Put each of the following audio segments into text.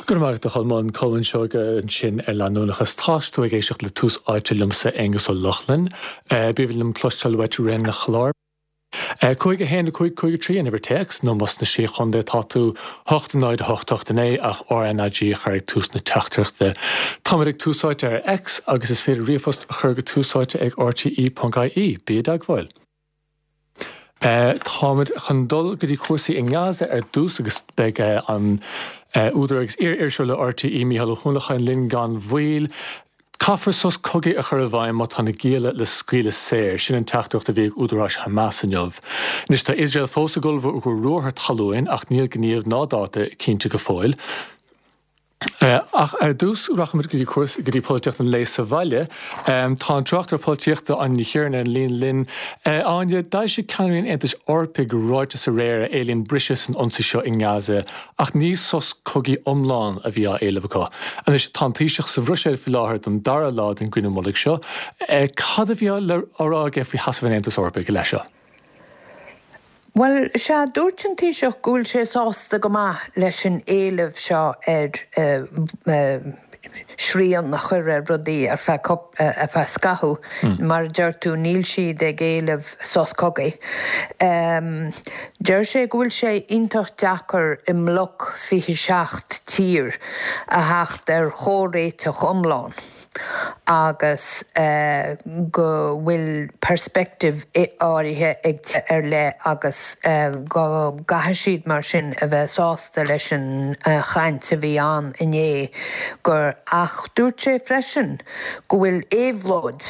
Go raibh maith agat a Cholmáin, Colmán Seoige ansin ar leanúnachas. Tá tú ag éisteacht le Tús Áite liomsa, Aonghus Ó Lochlainn. B'aoibhinn liom cloisteáil uait i rith an chláir. 5 1 5 5 3 an uimhir téacs, nó más sna Sé Chontae atá tú, 8 0 8 8 9 ach RnaG a chur ag tús na teachtaireachta. Táimid ag Tús Áite ar X agus is féidir ríomhphost a chur go túsáite ag rte.ie. Bí i dteagmháil. Táimid chun dul go dtí cúrsaí i nGaza ar dtús agus beidh an údar agus iar-iriseoir le RTÉ, Mícheál Ó hUallacháin linn gan mhoill. Caithfear sos cogaidh a chur i bhfeidhm má tá na gialla le scaoileadh saor. Sin an teachtaireacht a bhí ag údaráis Hamas inniu. Anois tá Iosrael fós ag ullmhú do ruathar talún ach níl gníomh ná dáta cinnte go fóill. Ach ar dtús, rachaimid go dtí cúrsaí, go dtí polaitíocht an lae sa bhaile. Tá an tráchtaire polaitíochta Áine Ní Chiaráin ar an líne linn. Áine, d'eisigh ceannairí an Aontais Eorpaigh ráiteas aréir a éilíonn briseadh san ionsaí seo i nGaza, ach ní sos cogaidh iomlán a bhí á éileamh acu. Anois, tá an Taoiseach sa Bhruiséil faoi láthair don dara lá den gcruinniú mullaigh seo. Cad a bhí á rá aige faoi sheasamh an Aontais Eorpaigh i leith seo? Bhuel, sea, dúirt an Taoiseach go bhfuil sé sásta go maith leis an éileamh seo ar srian a chur ar rudaí ar feadh ar feadh scaithimh. Mar a deir tú, níl siad ag éileamh sos cogaidh. Deir sé go bhfuil sé iontach deacair i mbloc 27 tír a theacht ar chomhréiteach iomlán. agus go bhfuil peirspictíocht áirithe ag tíortha ar leith agus go gcaithfidh siad mar sin a bheith sásta leis an chaint a bhí ann inné gur ach dúirt sé freisin go bhfuil éabhlóid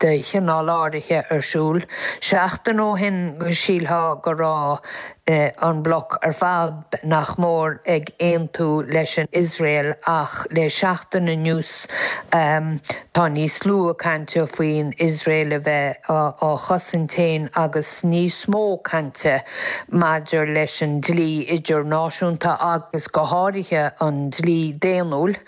de chineál áirithe ar siúl. Seachtain ó shin shílfeá go raibh an bloc ar fad nach mór ag aontú leis an Iosrael ach le seachtain anuas tá níos lú cainte faoin Iosrael a bheith á chosaint féin agus níos mó cainte maidir leis an dlí idirnáisiúnta agus go háirithe an dlí daonnúil.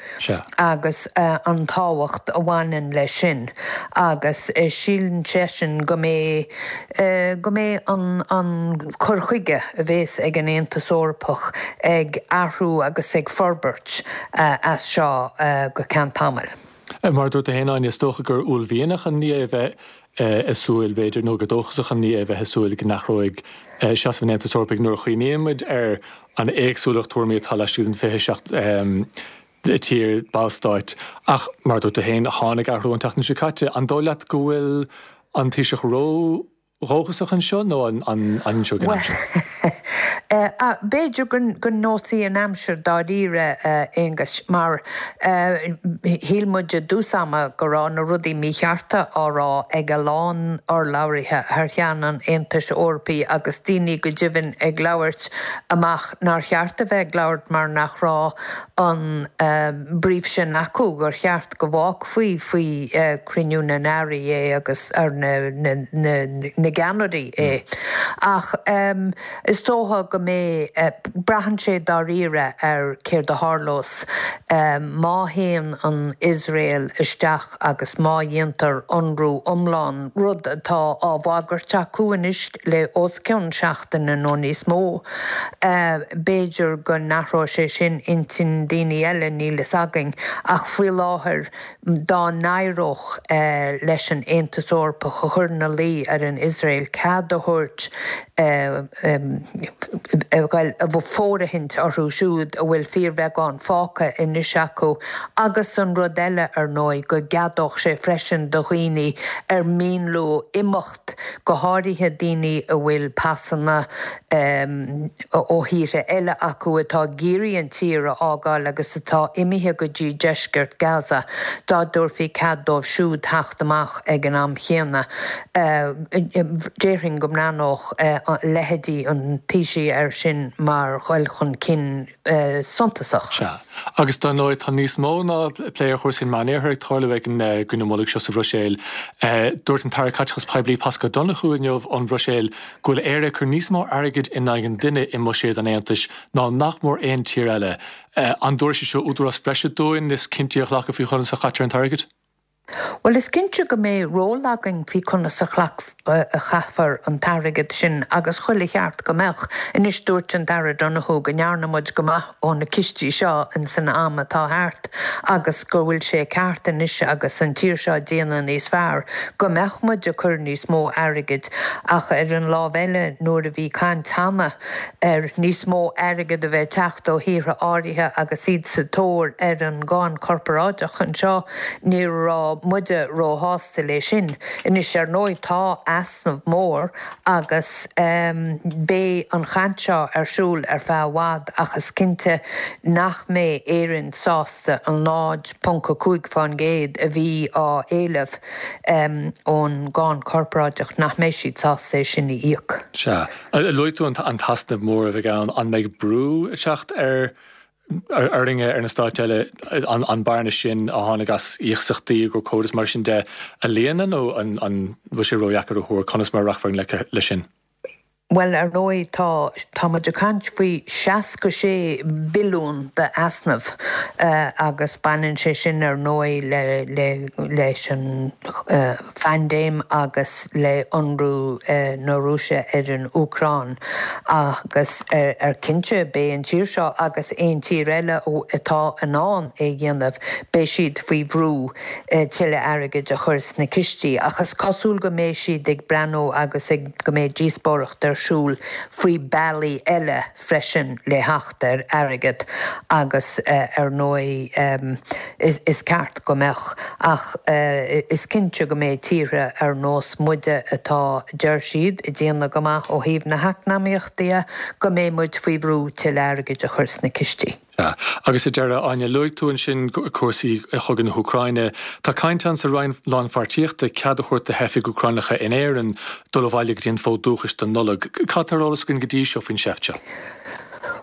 agus an tábhacht a bhaineann leis sin agus síleann seisean go mbeidh go mbeidh an an cur chuige a bhéas ag an Aontas Eorpach ag athrú agus ag forbairt as seo go ceann tamaill. Mar a dúirt tú féin, Áine, is dócha gur uaillmhianach an ní é a bheith ag súil, b'fhéidir, nó gur dóchasach an ní é a bheith ag súil go n-athróidh seasamh an Aontais Eorpaigh nuair a chuimhníonn muid ar an éagsúlacht tuairimí atá laistigh den 27 tír, ballstáit. Ach, mar a dúirt tú féin, tháinig athrú an tseachtain seo caite. An dóigh leat go bhfuil an Taoiseach ró-dhóchasach anseo nó an inseoidh an aimsir? Bhuel, b'fhéidir go neosfaidh an aimsir dáiríre, a Aonghuis, mar shíl muid i dtús ama go raibh na rudaí míchearta á rá ag a lán urlabhraithe thar cheann an Aontais Eorpaigh agus daoine go deimhin ag labhairt amach nár cheart a bheith ag labhairt mar nach raibh an brief sin acu gur cheart go bhfágfaí faoi chruinniú na n-airí é agus ar na na gceannairí é. Ach is dócha go mbeidh, braitheann sé dáiríre ar céard a tharlós má théann an Iosrael isteach agus má dhéantar ionradh iomlán, rud atá á bhagairt acu anois le os cionn seachtaine nó níos mó. B'fhéidir go n-athróidh sé sin intinn daoine eile, níl fhios againn. Ach faoi láthair, dá n-éireodh leis an Aontas Eorpach a chur ina luí ar an Iosrael cead a thabhairt a ghoil i bhfóirithint orthu siúd a bhfuil fíorbheagán fágtha anois acu agus an rud eile, ar ndóigh, go gceadódh sé freisin do dhaoine ar mian leo imeacht, go háirithe daoine a bhfuil pasanna ó thíortha eile acu atá ag iarraidh an tír a fhágáil agus atá imithe go dtí deisceart Gaza, dá dtabharfaí cead dóibh siúd theacht amach ag an am chéanna. Déarfainn go mbreathnódh leithéidí an Taoisigh air sin mar dhul chun cinn suntasach. Sea. Agus dar ndóigh tá níos mó ná plé ar chúrsaí an Mheánoirthir ag tarlú ag an gcruinniú mullaigh seo sa Bhruiséil. Dúirt an tAire Caiteachais Poiblí Paschal Donohoe inniu ón Bhruiséil go bhfuil Éire ag cur níos mó airgid in aghaidh an duine i mbuiséad an Aontais ná nach mór aon tír eile. An dtabharfaidh sé seo údarás breise dúinn níos cinntí a ghlacadh faoi chonas a chaitear an t-airgead? Bhuel, is cinnte go mbeidh ról againn faoi conas a a chaithfear an t-airgead sin agus chuile cheart go mbeadh. Anois, dúirt an tAire Donohoe go ndearna muid go maith ó na cistí seo in san am atá thart agus go bhfuil sé ceart anois agus an tír seo ag déanamh níos fearr go mbeadh muid ag cur níos mó airgid ach ar an lámh eile nuair a bhí caint cheana ar níos mó airgid a bheith ag teacht ó thíortha áirithe agus iad sa tóir ar an gcáin chorparáideach anseo, ní raibh muide róshásta le sin. Anois, ar ndóigh, tá easnamh mór agus beidh an chaint seo ar siúl ar feadh i bhfad ach is cinnte nach mbeidh Éirinn sásta an 0.5% a bhí á éileamh ón gcáin chorparáideach, nach mbeidh siad sásta é sin a íoc. Sea. Luaigh tú an t-easnamh mór a bheidh ann. An mbeidh brú ag teacht ar orainne, ar na stáit eile, an bearna sin a tháinig as iasachtaí i gcomhair Covid is mar sin de a líonadh nó an bhfuil sé ródheacair a thuar conas mar a rachfar i ngleic leis sin? Bhuel, ar ndóigh, tá, tá muid ag caint faoi 66 billiún d'easnamh agus baineann sé sin, ar ndóigh, le, le, leis an phaindéim agus le ionradh na Rúise ar an Úcráin agus ar cinnte, beidh an tír seo agus aon tír eile atá in ann é a dhéanamh, beidh siad faoi bhrú tuilleadh airgid a chur sna cistí. Ach is cosúil go mbeidh siad ag breathnú agus ag go mbeidh díospóireacht ar siúl faoi bealaí eile freisin le theacht ar airgead agus ar ndóigh is ceart go mbeadh ach is cinnte go mbeidh tíortha ar nós muide atá, deir siad, ag déanamh go maith ó thaobh na heacnamaíochta de, go mbeidh muid faoi bhrú tuilleadh airgid a chur sna cistí. Sea. Agus sa deireadh, Áine, luaigh tú ansin cúrsaí chogadh na hÚcráine. Tá caint ann sa Roinn Lánpháirtíochta cead a thabhairt do theifigh Úcránacha in Éirinn dul abhaile go dtí an fód dúchais don Nollaig. Cad tá ar eolas againn go dtí seo faoin seift seo?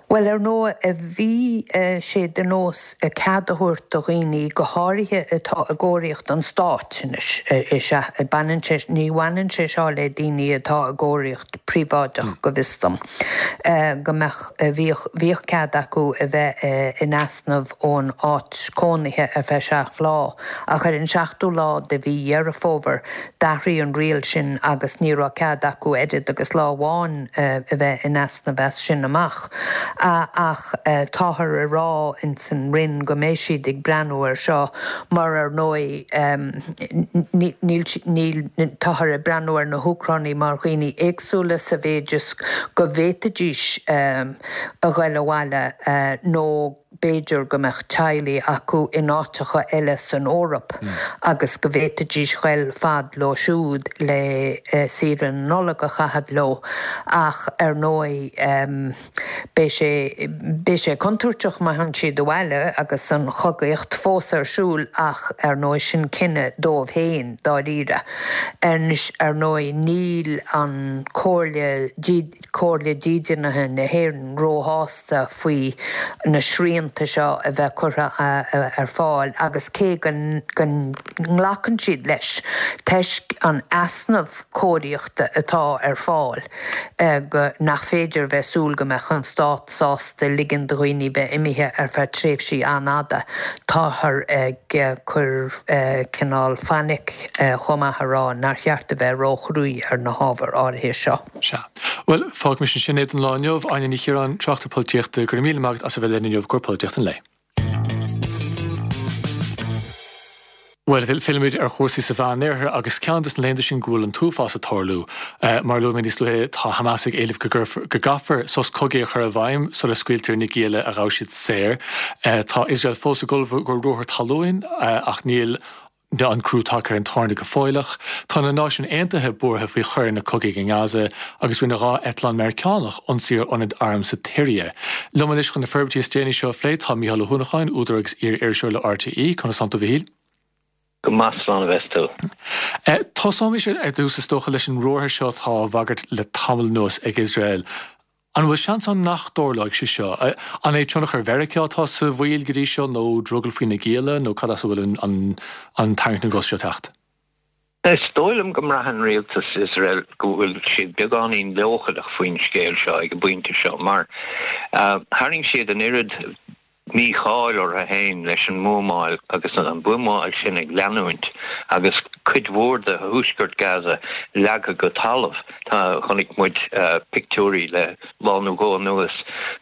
Bhuel, ar ndóigh, bhí sé de nós cead a thabhairt do dhaoine, go háirithe atá i gcóiríocht an stáit anois, is ea, baineann sé, ní bhaineann sé seo le daoine atá i gcóiríocht phríobháideach, go bhfios dom, go mbeadh. Bhíodh, bhíodh cead acu a bheith in easnamh ón áit cónaithe ar feadh seacht lá, ach ar an seachtú lá de mhí Dheireadh Fómhair, d'athraigh an riail sin agus ní raibh cead acu oiread agus lá amháin a bheith in easnamh as sin amach. Ach táthar a rá ins an Roinn go mbeidh siad ag breathnú air seo mar ar ndóigh níl, níl, táthar ag breathnú ar na hÚcránaigh mar dhaoine éagsúla sa mhéid is go bhféadfaidís a ghoil abhaile nó b'fhéidir go mbeadh teaghlaigh acu in áiteacha eile san Eoraip agus go bhféadfaidís ghoil fad leo siúd le saoire na Nollag a chaitheamh leo ach ar ndóigh beidh sé beidh sé contúirteach má théann siad abhaile agus an chogaíocht fós ar siúl ach ar ndóigh sin cinneadh dóibh féin dáiríre. Anois, ar ndóigh, níl an Comhairle, Comhairle Dídeanaithe na hÉireann róshásta faoi na srianta seo a bheith curtha ar fáil agus cé go nglacann siad leis, toisc an easnamh cóiríochta atá ar fáil, go nach féidir a bheith súil go mbeadh an stát sásta ligean do dhaoine bheith imithe ar feadh tréimhsí an-fhada. Táthar ag cur cineál fainic chomh maith a rá nár cheart a bheith róchruaidh ar na hábhair áirithe seo. Sea. Bhuel, fágfaimis ansin é don lá inniu. Áine Ní Chiaráin, tráchtaire polaitíochta, go raibh míle maith agat as a bheith linn inniu i gcomhair Polaitíocht an Lae. Bhuel, fillimid ar chúrsaí sa Mheánoirthear agus ceann de na laethanta sin go bhfuil an t-uafás ag tarlú. Mar a luaigh mé níos luaithe, tá Hamas ag éileamh go gcaithfear sos cogaidh a chur i bhfeidhm sula scaoiltear na gialla a ghabh siad saor. Tá Iosrael fós ag ullmhú i gcomhair ruathar talún ach níl an crú tagtha ar an tairne go fóilleach. Tá na Náisiúin Aontaithe buartha faoi choireanna cogaidh i nGaza agus rinne 2 eitleán Meiriceánach ionsaí ar ionad airm sa tSiria. Liom anois chun na forbairtí is déanaí seo a phlé tá Mícheál Ó hUanacháin, údar agus iar-iriseoir le RTÉ. Conas tánn tú, a Mhichíl? Go maith, slán a bheas tú. Tosóimis ar dtús is dócha leis an ruathar seo atá á bhagairt le tamall anuas ag Iosrael. An bhfuil seans ann nach dtarlóidh sé seo? An é tionchar Mheiriceá atá sa mhoill go dtí seo nó drogall faoi na gialla nó cad as a bhfuil an tarraingt na gcos seo ag teacht? Is dóigh liom go mbraitheann rialtas Iosrael go bhfuil siad beagáinín leochaileach faoin scéal seo ag an bpointe seo mar tharraing siad an oiread. mícháil orthu féin leis an mbuamáil agus an bhuamáil sin ag leanúint agus cuid mhór de thuaisceart Gaza leagtha go talamh. Tá, chonaic muid pictiúirí le lá nó dhó anuas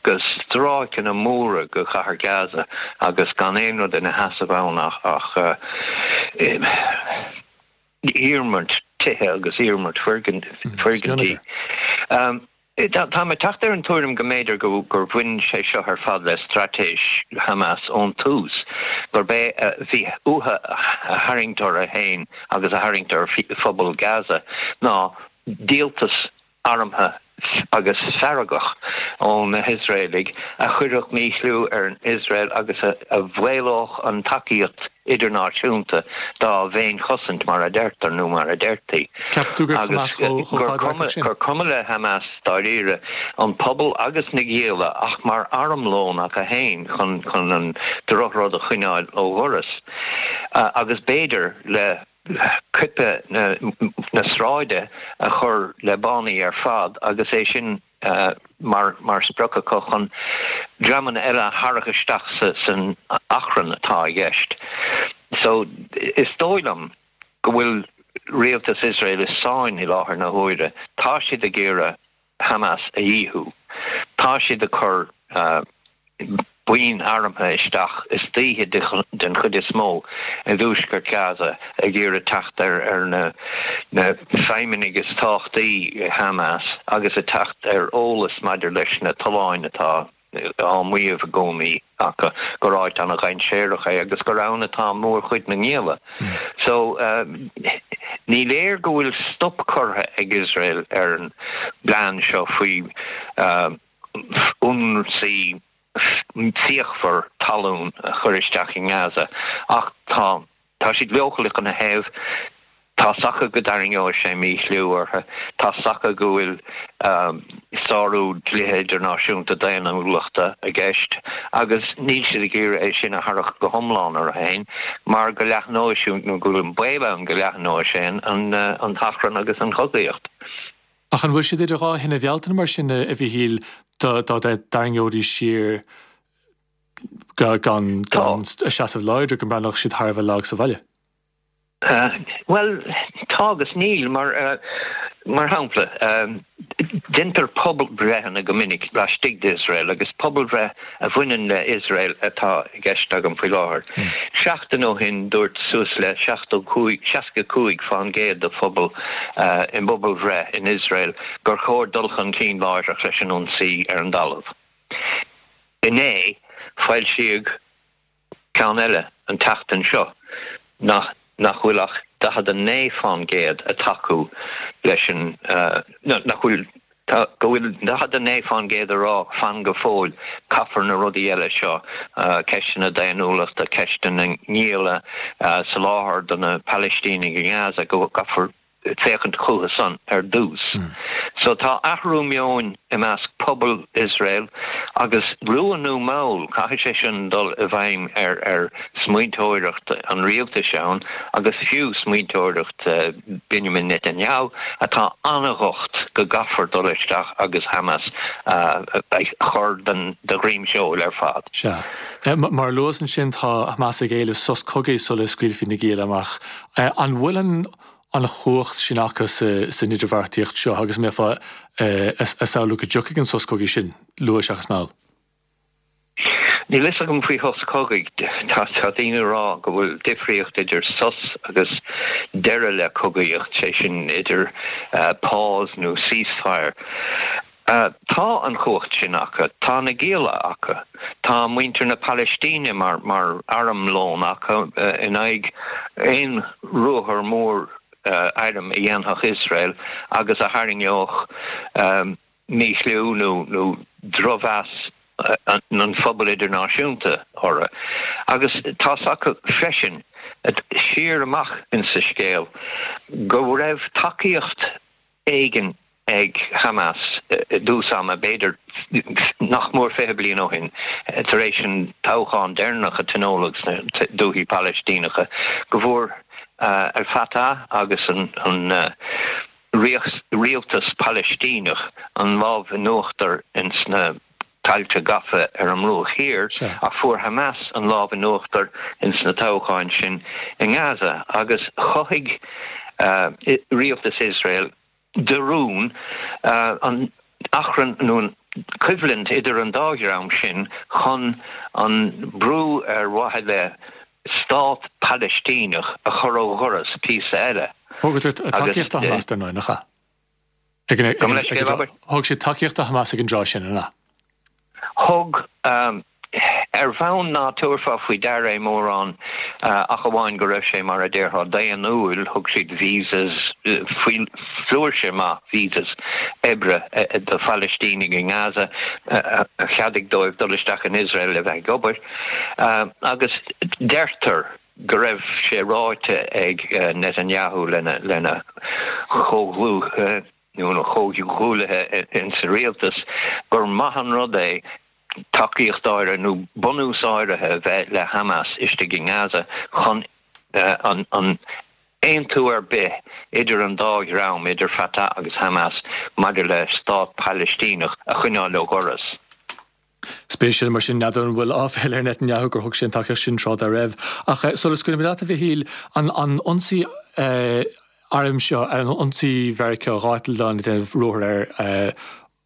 de stráiceanna móra de chathair Gaza agus gan aon rud ina sheasamh ann ach iarmairt tithe agus iarmairt foirgintí. Táim ag teacht ar an tuairim go mb'fhéidir gur bhain sé seo ar fad le straitéis Hamas ón tús, gurb é a bhí uathu a tharraingt orthu féin agus a tharraingt ar phobal Gaza ná díoltas armtha agus feargach ó na hIosraelaigh a chuirfeadh míchliú ar Iosrael agus a mhaolódh an tacaíocht idirnáisiúnta dá bhféinchosaint, mar a deirtear, nó mar a deirtí. Ceapann tú gur Hamas chomh fadradharcach sin? Gur cuma le Hamas, dáiríre, an pobal agus na gialla ach mar armlón acu féin chun an drochrud a choinneáil ó dhoras. Agus b'fhéidir le coipeadh na sráide a chur le bánaí ar fad agus é sin mar sprioc acu chun dreamanna eile a tharrac isteach san achrann atá i gceist. So, is dóigh liom go bhfuil rialtas Iosrael i sáinn i láthair na huaire. Tá siad ag iarraidh Hamas a dhíothú. Tá siad ag cur buíon armtha isteach istoíche den chuid is mó i dtuaisceart Gaza ag iarraidh teacht ar na feidhmeannaigh is tábhachtaí i Hamas agus ag teacht ar eolas maidir leis na tolláin atá á maíomh i gcónaí acu gur áit an-dhainséarach é agus gur ann atá mórchuid na ngialla. So, ní léir go bhfuil stop curtha ag Iosrael ar an bplean seo faoi ionsaí fíochmhar talún a chur isteach i nGaza ach tá tá siad leochaileach ina thaobh. Tá's acu go dtarraingeoidh sé míchliú orthu. Tá's acu go bhfuil sárú dlíthe idirnáisiúnta daonnúlachta i gceist agus níl siad ag iarraidh é sin a tharrac go hiomlán orthu féin mar go leathnóidh sé nó go bhfuil an baol ann go leathnóidh sé an t-achrann agus an chogaíocht. Ach an bhfuil siad idir dhá thine Bhealtaine mar sin, a Mhíchíl, dá dtarraingeoidís siar gan a seasamh láidir, go mbreathnódh siad thar a bheith lag sa bhaile? Bhuel, tá agus níl, mar, mar shampla, deintear pobalbhreitheanna go minic laistigh d'Iosrael agus pobalbhreith a bhaineann le Iosrael atá i gceist agam faoi láthair. Seachtain ó shin dúirt suas le 75, 65 fán gcéad de phobal i bpobalbhreith in Iosrael gur chóir dul chun cinn láithreach leis an ionsaí ar an dtalamh. Inné, foilsíodh ceann eile an tseachtain seo nach nach bhfuil ach 49 fán gcéad ag tacú leis an nach bhfuil tá go bhfuil 49 fán gcéad ag rá fan go fóill caithfear na rudaí eile seo ceisteanna daonnúlachta ceisteanna na ngialla soláthar do na Palaistínigh i nGaza go gcaithfear féachaint chucu san ar dtús. So tá athrú meoin i measc pobal Iosrael agus luath nó mall caithfidh sé sin dul i bhfeidhm ar ar smaointeoireacht an rialtais ann agus fiú smaointeoireacht Benjamin Netanyahu atá an-dhocht go gcaithfear dul isteach agus Hamas a chur den de dhroim seoil ar fad. Sea. Mar a luas ansin tá Hamas ag éileamh sos cogaidh sula scaoilfí na gialla amach. An bhfuil an an chumhacht sin acu san idirbheartaíocht seo agus an mbeifeá ag samhlú go dtiocfaidh an sos cogaidh sin luath seachas mall? Níl fhios agam faoi shos cogaidh. Tá daoine ag rá go bhfuil difríocht idir sos agus deireadh le cogaíocht, sé sin idir pause nó ceasefire. Tá an chumhacht sin acu. Tá na gialla acu. Tá muintir na Palaistíne mar armlón acu in aghaidh aon ruathar mór airm a dhéanfadh Iosrael agus a tharraingeodh míchliú nó drochmheas an phobail idirnáisiúnta orthu. Agus tá's acu freisin, siar amach insa scéal, go raibh tacaíocht éigin ag Hamas i dtús ama, b'fhéidir nach mór 20 bliain ó shin, tar éis an toghchán deireanach a tionóladh sna dúichí Palaistíneacha, go bhfuair Al Fatah agus an rialtas Palaistíneach an lámh in uachtar ins na. Tailte gafa ar an mBruach Thiar, ach fuair Hamas an lámh in uachtar ins na toghcháin sin i nGaza agus chothaigh rialtas Iosrael de rún an achrann nó an choimhlint idir an dá dhream sin chun an brú ar mhaithe le stát Palaistíneach a chur ó dhoras píosa eile. Thugadar tacaíocht do Hamas dar ndóigh, nach ea? Thug siad tacaíocht do Hamas ag an dtráth sin, an ea? Thug. Ar bhonn ná tabharfá faoi deara é mórán, ach amháin go raibh sé, mar a déarfá, daonnúil, thug siad visas, faoi flúirse maith visas oibre do Phalaistínigh i nGaza, a cheadaigh dóibh dul isteach in Iosrael le bheith ag obair. Agus deirtear go raibh sé ráite ag Netanyahu lena chomhdhlúth, nó a chomhghuaillithe insa rialtas gur maith an rud é tacaíocht áirithe nó bunús áirithe a bheith le Hamas istigh i nGaza chun an aontú ar bith idir an dá dhream, idir Fatah agus Hamas, maidir le stát Palaistíneach a choinneáil ó dhoras. Spéisiúil mar sin, n'fheadar an bhfuil áiféala ar Netanyahu gur thug sé an tacaíocht sin tráth dá raibh. Ach sula scaoilfidh mé leat, a Mhichíl, an ionsaí airm seo, an ionsaí Mheiriceá, 2 eitleán ag déanamh ruathar ar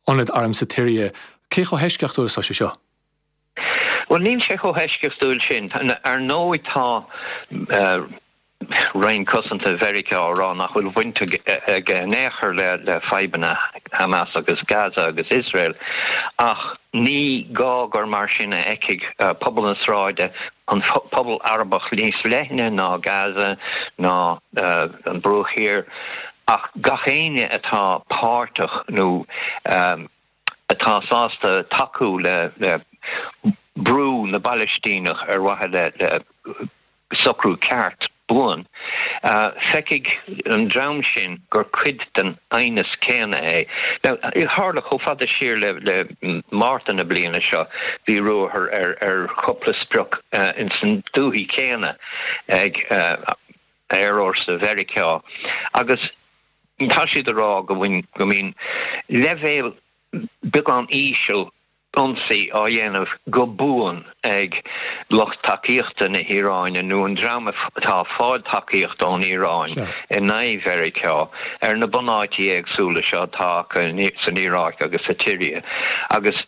ionad airm sa tSiria, cé chomh heisceachtúil is atá sé seo? Bhuel, níl sé chomh heisceachtúil sin. Ar ndóigh tá Roinn Cosanta Mheiriceá á rá nach bhfuil baint aige in aon chor le fadhbanna Hamas agus Gaza agus Iosrael, ach ní gá gur mar sin a fheicfidh pobal na sráide an pobal Arabach níos leithne ná Gaza ná an Bruach Thiar, ach gach éinne atá páirteach nó atá sásta tacú le brú na bPalaistíneach ar mhaithe le socrú ceart buan. Feicfidh an dream sin gur cuid den aighneas céanna é. Now, tharla chomh fada siar le Márta na bliana seo, bhí ruathar ar chúpla sprioc ins an dúthaigh chéanna ag aerfhórsa Mheiriceá agus tá siad ag rá go mbíonn leibhéal beagán íseal ionsaí á dhéanamh go buan ag lucht tacaíochta na hIaráine nó an dream atá ag fáil tacaíocht ón Iaráin in aghaidh Mheiriceá ar na bunáití éagsúla seo atá acu san Iaráic agus sa tSiria agus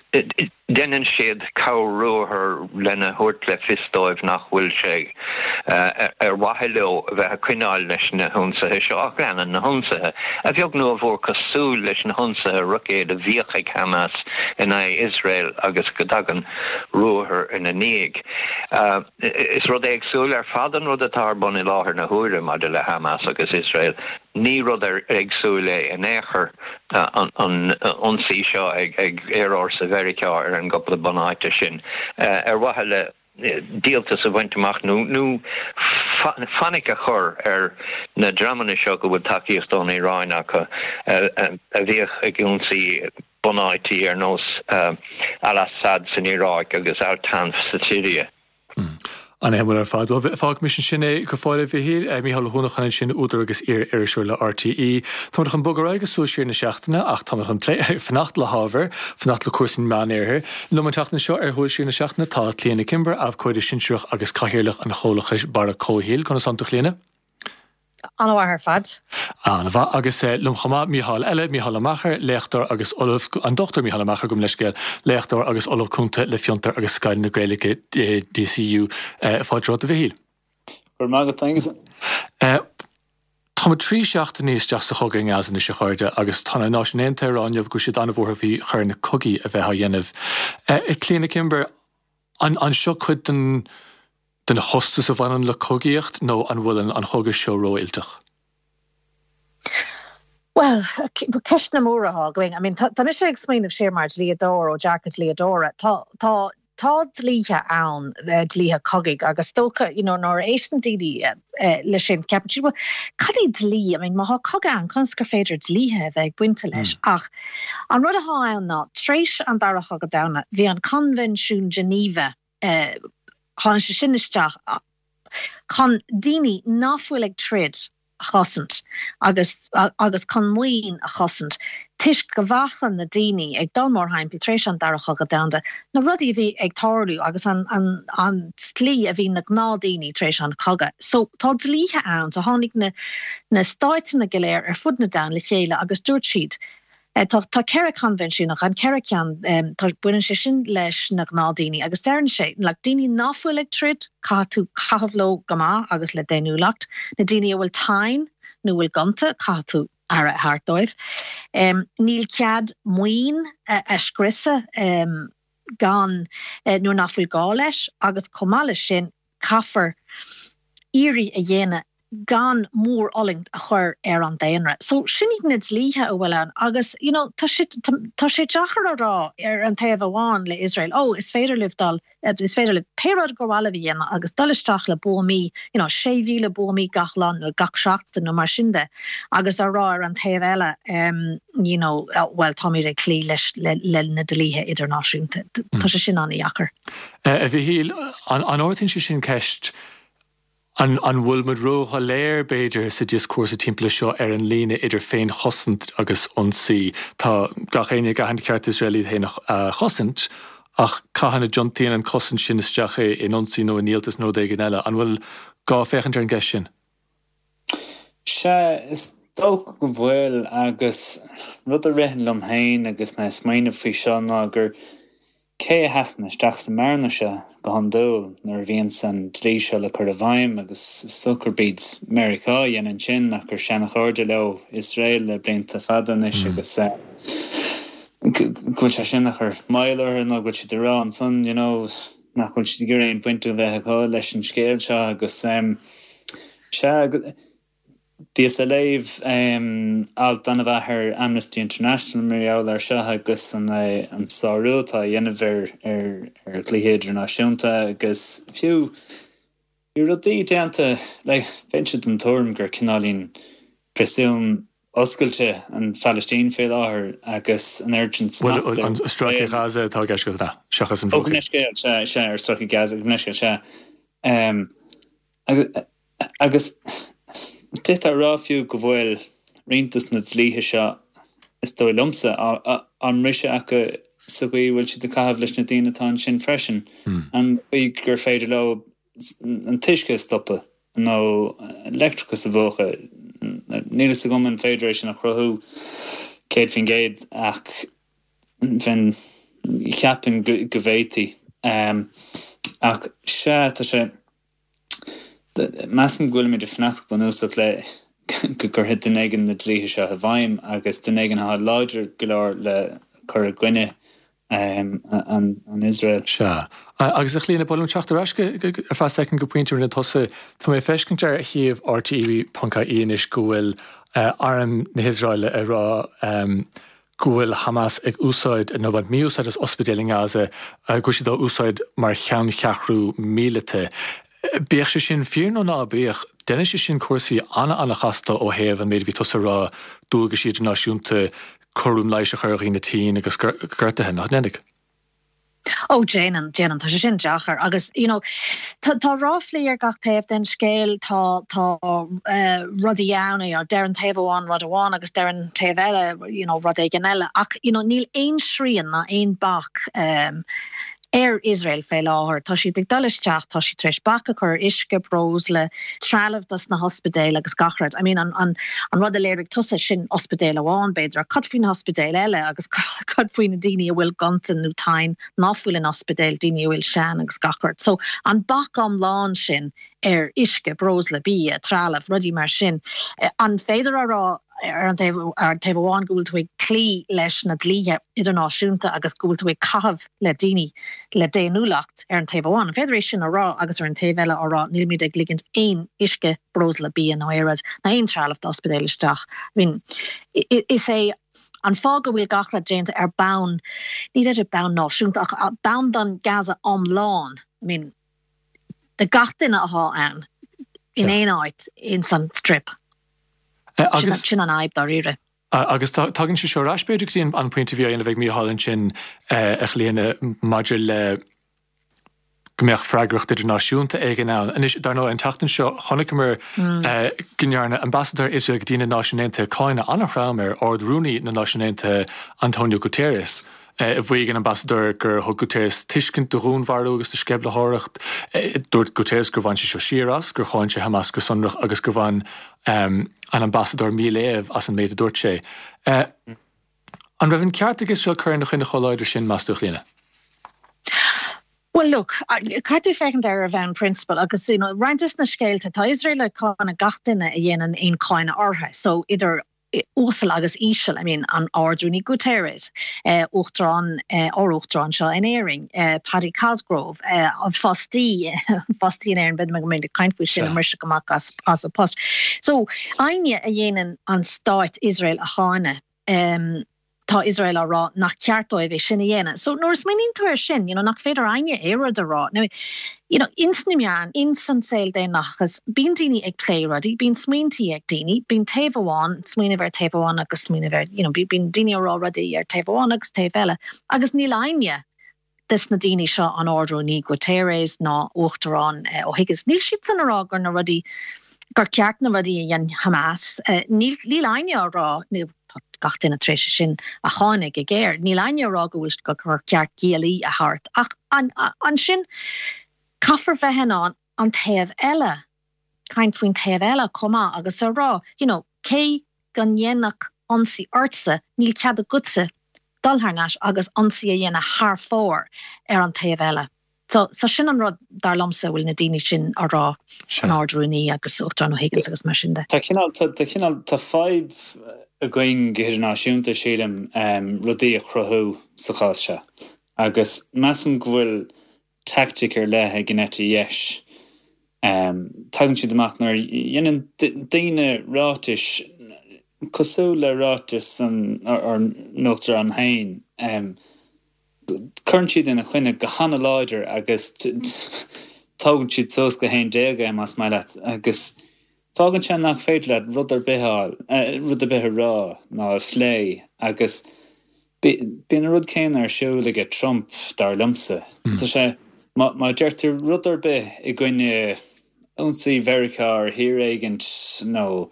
deineann siad corr-ruathar lena thabhairt le fios dóibh nach bhfuil sé ar mhaithe leo a bheith ag coinneáil leis na hionsaithe seo ach leanann na hionsaithe, a bheag nó a mhór cosúil leis na hionsaithe roicéad a bhíodh ag Hamas in aghaidh Iosrael agus go dtagann ruathar ina ndiaidh. Is rud éagsúil ar fad an rud atá ar bun i láthair na huaire maidir le Hamas agus Iosrael. Ní rud éagsúil é in aon chor an ionsaí seo ag aerfhórsa Mheiriceá ar an gcúpla bunáite sin ar mhaithe le díoltas a bhaint amach nó fainic a chur ar na dreamanna seo go bhfuil tacaíocht ón Iaráin acu a bhíodh ag ionsaí bunáití ar nós Al-Assad san Iaráic agus Al-Tanf sa tSiria. An-shuimiúil ar fad. Bhuel, fágfaimis ansin é go fóill, a Mhichíl. Mícheál Ó hUanacháin ansin, údar agus iar-iriseoir le RTÉ. Táimid chun bogadh ar aghaidh go Súil Siar na Seachtaine ach táimid chun plé, fanacht le hábhar, fanacht le cúrsaí an Mheánoirthir. Liom an tseachtain seo ar Shúil Siar na Seachtaine tá Clíona Kimber, abhcóide sinsearach agus cathaoirleach an chomhlachais Barra Comhshaoil. Conas tánn tú, a Chlíona? An-mhaith ar fad. An-mhaith. Agus liom chomh maith, Mícheál eile, Mícheál Ó Meachair, léachtóir agus Ollamh, an Dr Mícheál Ó Meachair, gabh mo leithscéal, léachtóir agus Ollamh Cúnta le Fiontar agus Scoil na Gaeilge, DCU. Fáilte romhat, a Mhichíl. Go raibh maith agat, Aengus. Táimid 3 seachtainí isteach sa chogadh i nGaza anois, a chairde, agus tá na Náisiúin Aontaithe ag rá inniu go bhfuil siad an-bhuartha faoi choir na cogaí a bheith á dhéanamh. A Chlíona Kimber, an seo cuid den den chostas a bhaineann le cogaíocht nó an bhfuil an chogadh seo rófhuilteach? Bhuel, ceisteanna móra atá againn. I mean, tá mise ag smaoineamh siar mar dhlíodóir, ó dearcadh dlíodóra. Tá, tá, tá dlíthe ann, dlíthe cogaidh, agus is dócha, you know, nuair a éisteann daoine leis sin, ceapann siad, bhuel, cad é dlí? I mean, má tá cogadh ann, conas gur féidir dlíthe a bheith ag baint leis? Ach an rud atá ann ná, tar éis an Dara Chogadh Domhanda, bhí an Coinbhinsiún Geneva, tháinig sé sin isteach chun daoine nach bhfuil ag troid. a chosaint agus agus chun maoin a chosaint toisc go bhfaca na daoine ag dul mórthimpeall tar éis an Dara Chogadh Domhanda na rudaí a bhí ag tarlú agus an an an tslí a bhí na gnáthdhaoine tar éis an chogadh. So tá dlíthe ann so tháinig na na stáiteanna go léir ar fud na domhain le chéile agus dúirt siad Tá tá 4 coinbhinsiún ach an 4 ceann tá baineann sé sin leis na gnáthdhaoine agus deireann sé like daoine ná fuil ag troid caithfidh tú caitheamh leo go maith agus le daonnúlacht, na daoine a bhfuil tinn nó bhfuil gonta caithfidh tú aire a thabhairt dóibh. Níl cead maoin a scriosadh gan nuair nach bhfuil gá leis agus chomh maith leis sin caithfear iarraidh a dhéanamh gan mórfhulaingt a chur ar an daonra. So sin iad na dlíthe a bhfuil ann agus you know tá sé tá sé deacair a rá ar an taobh amháin le Iosrael oh is féidir libh dul is féidir libh pé rud gur mhaith libh a dhéanamh agus dul isteach le buamaí you know 6,000 buamaí gach lá nó gach seachtain nó mar sin de agus a rá ar an taobh eile um you know well táimid ag cloí leis le le na dlíthe idirnáisiúnta. Tá sé sin an-dheacair. A Mhichíl, an ardaíonn sé sin ceist, an bhfuil muid ródhoiléir, b'fhéidir, sa dioscúrsa timpeall seo ar an líne idir féinchosaint agus ionsaí? Tá gach éinne ag aithint ceart Iosrael iad féin a chosaint, ach cathain a dtiontaíonn an cosaint sin isteach in ionsaí nó i ndíoltas nó rud éigin eile? An bhfuil gá féachaint ar an gceist sin? Sea, is dócha go bhfuil, agus rud a ritheann liom féin agus mé ag smaoineamh faoi seo ná gur cé a sheasann isteach sa mbearna seo go hiondúil nuair a bhíonns an dlí seo le cur i bhfeidhm agus is dócha gurb iad Meiriceá a dhéanann sin ach gur seanachairde leo Iosrael le blianta fada anois agus go bhfuil sé sin ag cur moill orthu nó go bhfuil siad ag rá ansan you know nach bhfuil siad ag iarraidh aon bhaint a bheith acu leis an scéal seo agus sea, bhíos ag léamh alt an-mhaith ar Amnesty International mar gheall air seo agus an sárú atá á dhéanamh ar ar dhlíthe idirnáisiúnta agus fiú Bhí rudaí déanta, like, bheinnse den tuairim gur cineáilín príosún oscailte an Phalaistín faoi láthair agus an oiread sin smacht ar. Bhuel, an Stráice Gaza atá i gceist agat, an ea? Seachas an Bhruach Thiar. Ó, gabh mo leithscéal, sea, sea, ar Stráice Gaza, gabh mo leithscéal, sea. Agus d'fhéadfá a rá fiú go bhfuil roinnt dos na dlíthe seo, is dóigh liomsa, á mbriseadh acu sa gcaoi a bhfuil siad ag caitheamh leis na daoine atá ansin freisin. An chaoi gur féidir leo an t-uisce a stopadh nó leictreachas a mhúchadh. Níl fhios agam an féidir é sin a chruthú 100% ach bheinn, cheapfainn go bhféadfaí. Ach sea, tá sé, measaim go bhfuilimid ag fanacht go bunúsach le go gcuirfidh duine éigin na dlíthe seo i bhfeidhm agus duine éigin atá láidir go leor le cur i gcoinne an Iosrael. Sea. Agus a Chlíona, ba mhaith liom teacht ar ais ar feadh soicind go pointe a rinne tusa. Tá mé ag feiscint ar shuíomh RTÉ.ie anois go bhfuil arm na hIosraeile ag rá go bhfuil Hamas ag úsáid, nó ag baint mí-úsáid as ospidéil i nGaza, go bhfuil siad á úsáid mar cheanncheathrú míleata. Bíodh sé sin fíor nó ná bíodh, déanann sé sin cúrsaí ana-ana-chasta ó thaobh an méid a bhí tusa a rá, dualgaisí idirnáisiúnta, cúram leighis a chur ar dhaoine tinn agus gortaithe, nach ndéanfaidh? Ó, déanann, déanann, tá sé sin deacair agus, you know, tá, tá ráflaí ar gach taobh den scéal, tá, tá rudaí ann, you know, deir an taobh amháin rud amháin agus deir an taobh eile, you know, rud éigin eile ach, you know, níl aon srian ná aon bac ar Iosrael fé láthair. Tá siad ag dul isteach, tá siad tar éis bac a chur ar uisce, breosla, trealamh dos na hospidéil agus gach rud. I mean an an an rud a léirigh tusa, sin ospidéal amháin b'fhéidir, ach cad faoi na hospidéil eile agus cad faoi na daoine a bhfuil gonta nó tinn ná fuil in ospidéil, daoine a bhfuil sean agus gach rud. So an bac iomlán sin ar uisce, breosla, bia, trealamh, rudaí mar sin, an féidir a rá ar an taobh ar an taobh amháin go bhfuil tú ag cloí leis na dlíthe idirnáisiúnta agus go bhfuil tú ag caitheamh le daoine le daonnúlacht ar an taobh amháin. An féidir é sin a rá agus ar an taobh eile á rá nílimid ag ligint aon uisce, breosla, bia nó aon rud ná aon trealamh d'ospidéil isteach. I mean, is é an fáth go bhfuil gach rud déanta ar bonn, ní deirim bonn náisiúnta ach bonn don Gaza iomlán. I mean, do gach duine atá ann in aon áit ins an Strip. Sin an fhadhb dáiríre. Agus tagann sé seo ar ais b'fhéidir go dtí an pointe a bhí á dhéanamh ag Mícheál ansin, a Chlíona, maidir le. go mbeadh freagracht idirnáisiúnta éigin ann. Anois, dar ndóigh, an tseachtain seo chonaiceamar go ndearna ambasadóir Iosrael go dtí na Náisiúin Aontaithe cáineadh an-throm ar Ard-Rúnaí na Náisiún Aontaithe, Antonio Guterres. Mhaígh an ambasadóir gur thug Guterres tuiscint do dhúnmharú agus do sceimhlitheoireacht. Dúirt Guterres gur bhain sé seo siar as, gur cháin sé Hamas go sonrach agus gur bhain an ambasadóir míléamh as an méid a dúirt sé. An raibh an ceart ag Iosrael cur ina choinne chomh láidir sin, meas tú, a Chlíona? Bhuel, look, caithfidh tú féachaint air ar bhonn prionsabail agus, you know, roinnt des na scéalta, tá Iosrael ag cáineadh gach duine a dhéanann aon cáineadh orthu, so idir uasal agus íseal, I mean, an Ard-Rúnaí Guterres, Uachtarán, ár Uachtarán anseo in Éirinn, Paddy Cosgrave, an fostaí, fostaí in Éirinn, b'fhéidir go mbeimid ag caint faoi sin, a mbriseadh amach as, as a post. So, éinne a dhéanann an stáit Iosrael a cháineadh, tá Iosrael á rá nach ceart dóibh é sin a dhéanamh. So nuair a smaoiníonn tú air sin, you know, nach féidir éinne aon rud a rá. Now, you know, ins na meáin, ins an saol daonlathachas, bíonn daoine ag plé rudaí, bíonn smaointí ag daoine, bíonn taobh amháin, smaoineamh ar taobh amháin agus smaoineamh ar, you know, bíonn daoine ag rá rudaí ar taobh amháin agus taobh eile. Agus níl éinne des na daoine seo, an Ard-Rúnaí Guterres ná Uachtarán O'Higgins, níl siadsan a rá gur na rudaí, gur ceart na rudaí a dhein Hamas. Níl, níl éinne á rá, nó tá gach duine tar éis é sin a cháineadh go géar, níl éinne á rá go bhfuil, gur ceart giollaí a thabhairt. Ach ansin, caithfear bheith in ann an taobh eile, caint faoin taobh eile chomh maith agus a rá, you know, cé go ndéanfadh ionsaí ortsa, níl cead agatsa dul thar n-ais agus ionsaí a dhéanamh thar fóir ar an taobh eile. So, so sin an rud, dar liomsa, a bhfuil na daoine sin á rá, an Ard-Rúnaí agus Uachtarán O'Higgins agus mar sin de. Tá cineál, tá, tá cineál, tá fadhb againn go hidirnáisiúnta, sílim, rudaí a chruthú sa chás seo. Agus measaim go bhfuil teaictic ar leith ag an eite dheis. Tagann siad amach nuair a dhéanann daoine ráitis cosúil le ráiteas ár n-uachtarán féin, cuireann siad ina choinne go hana-láidir agus tógann siad suas go 11 é, más maith leat, agus fágann sé nach féidir leat rud ar bith a fháil, rud ar bith a rá ná a phlé agus Bíonn an rud céanna ar siúl aige Trump, dar liomsa. Tá sé, má deir tú rud ar bith i gcoinne ionsaí Mheiriceá ar thír éigint nó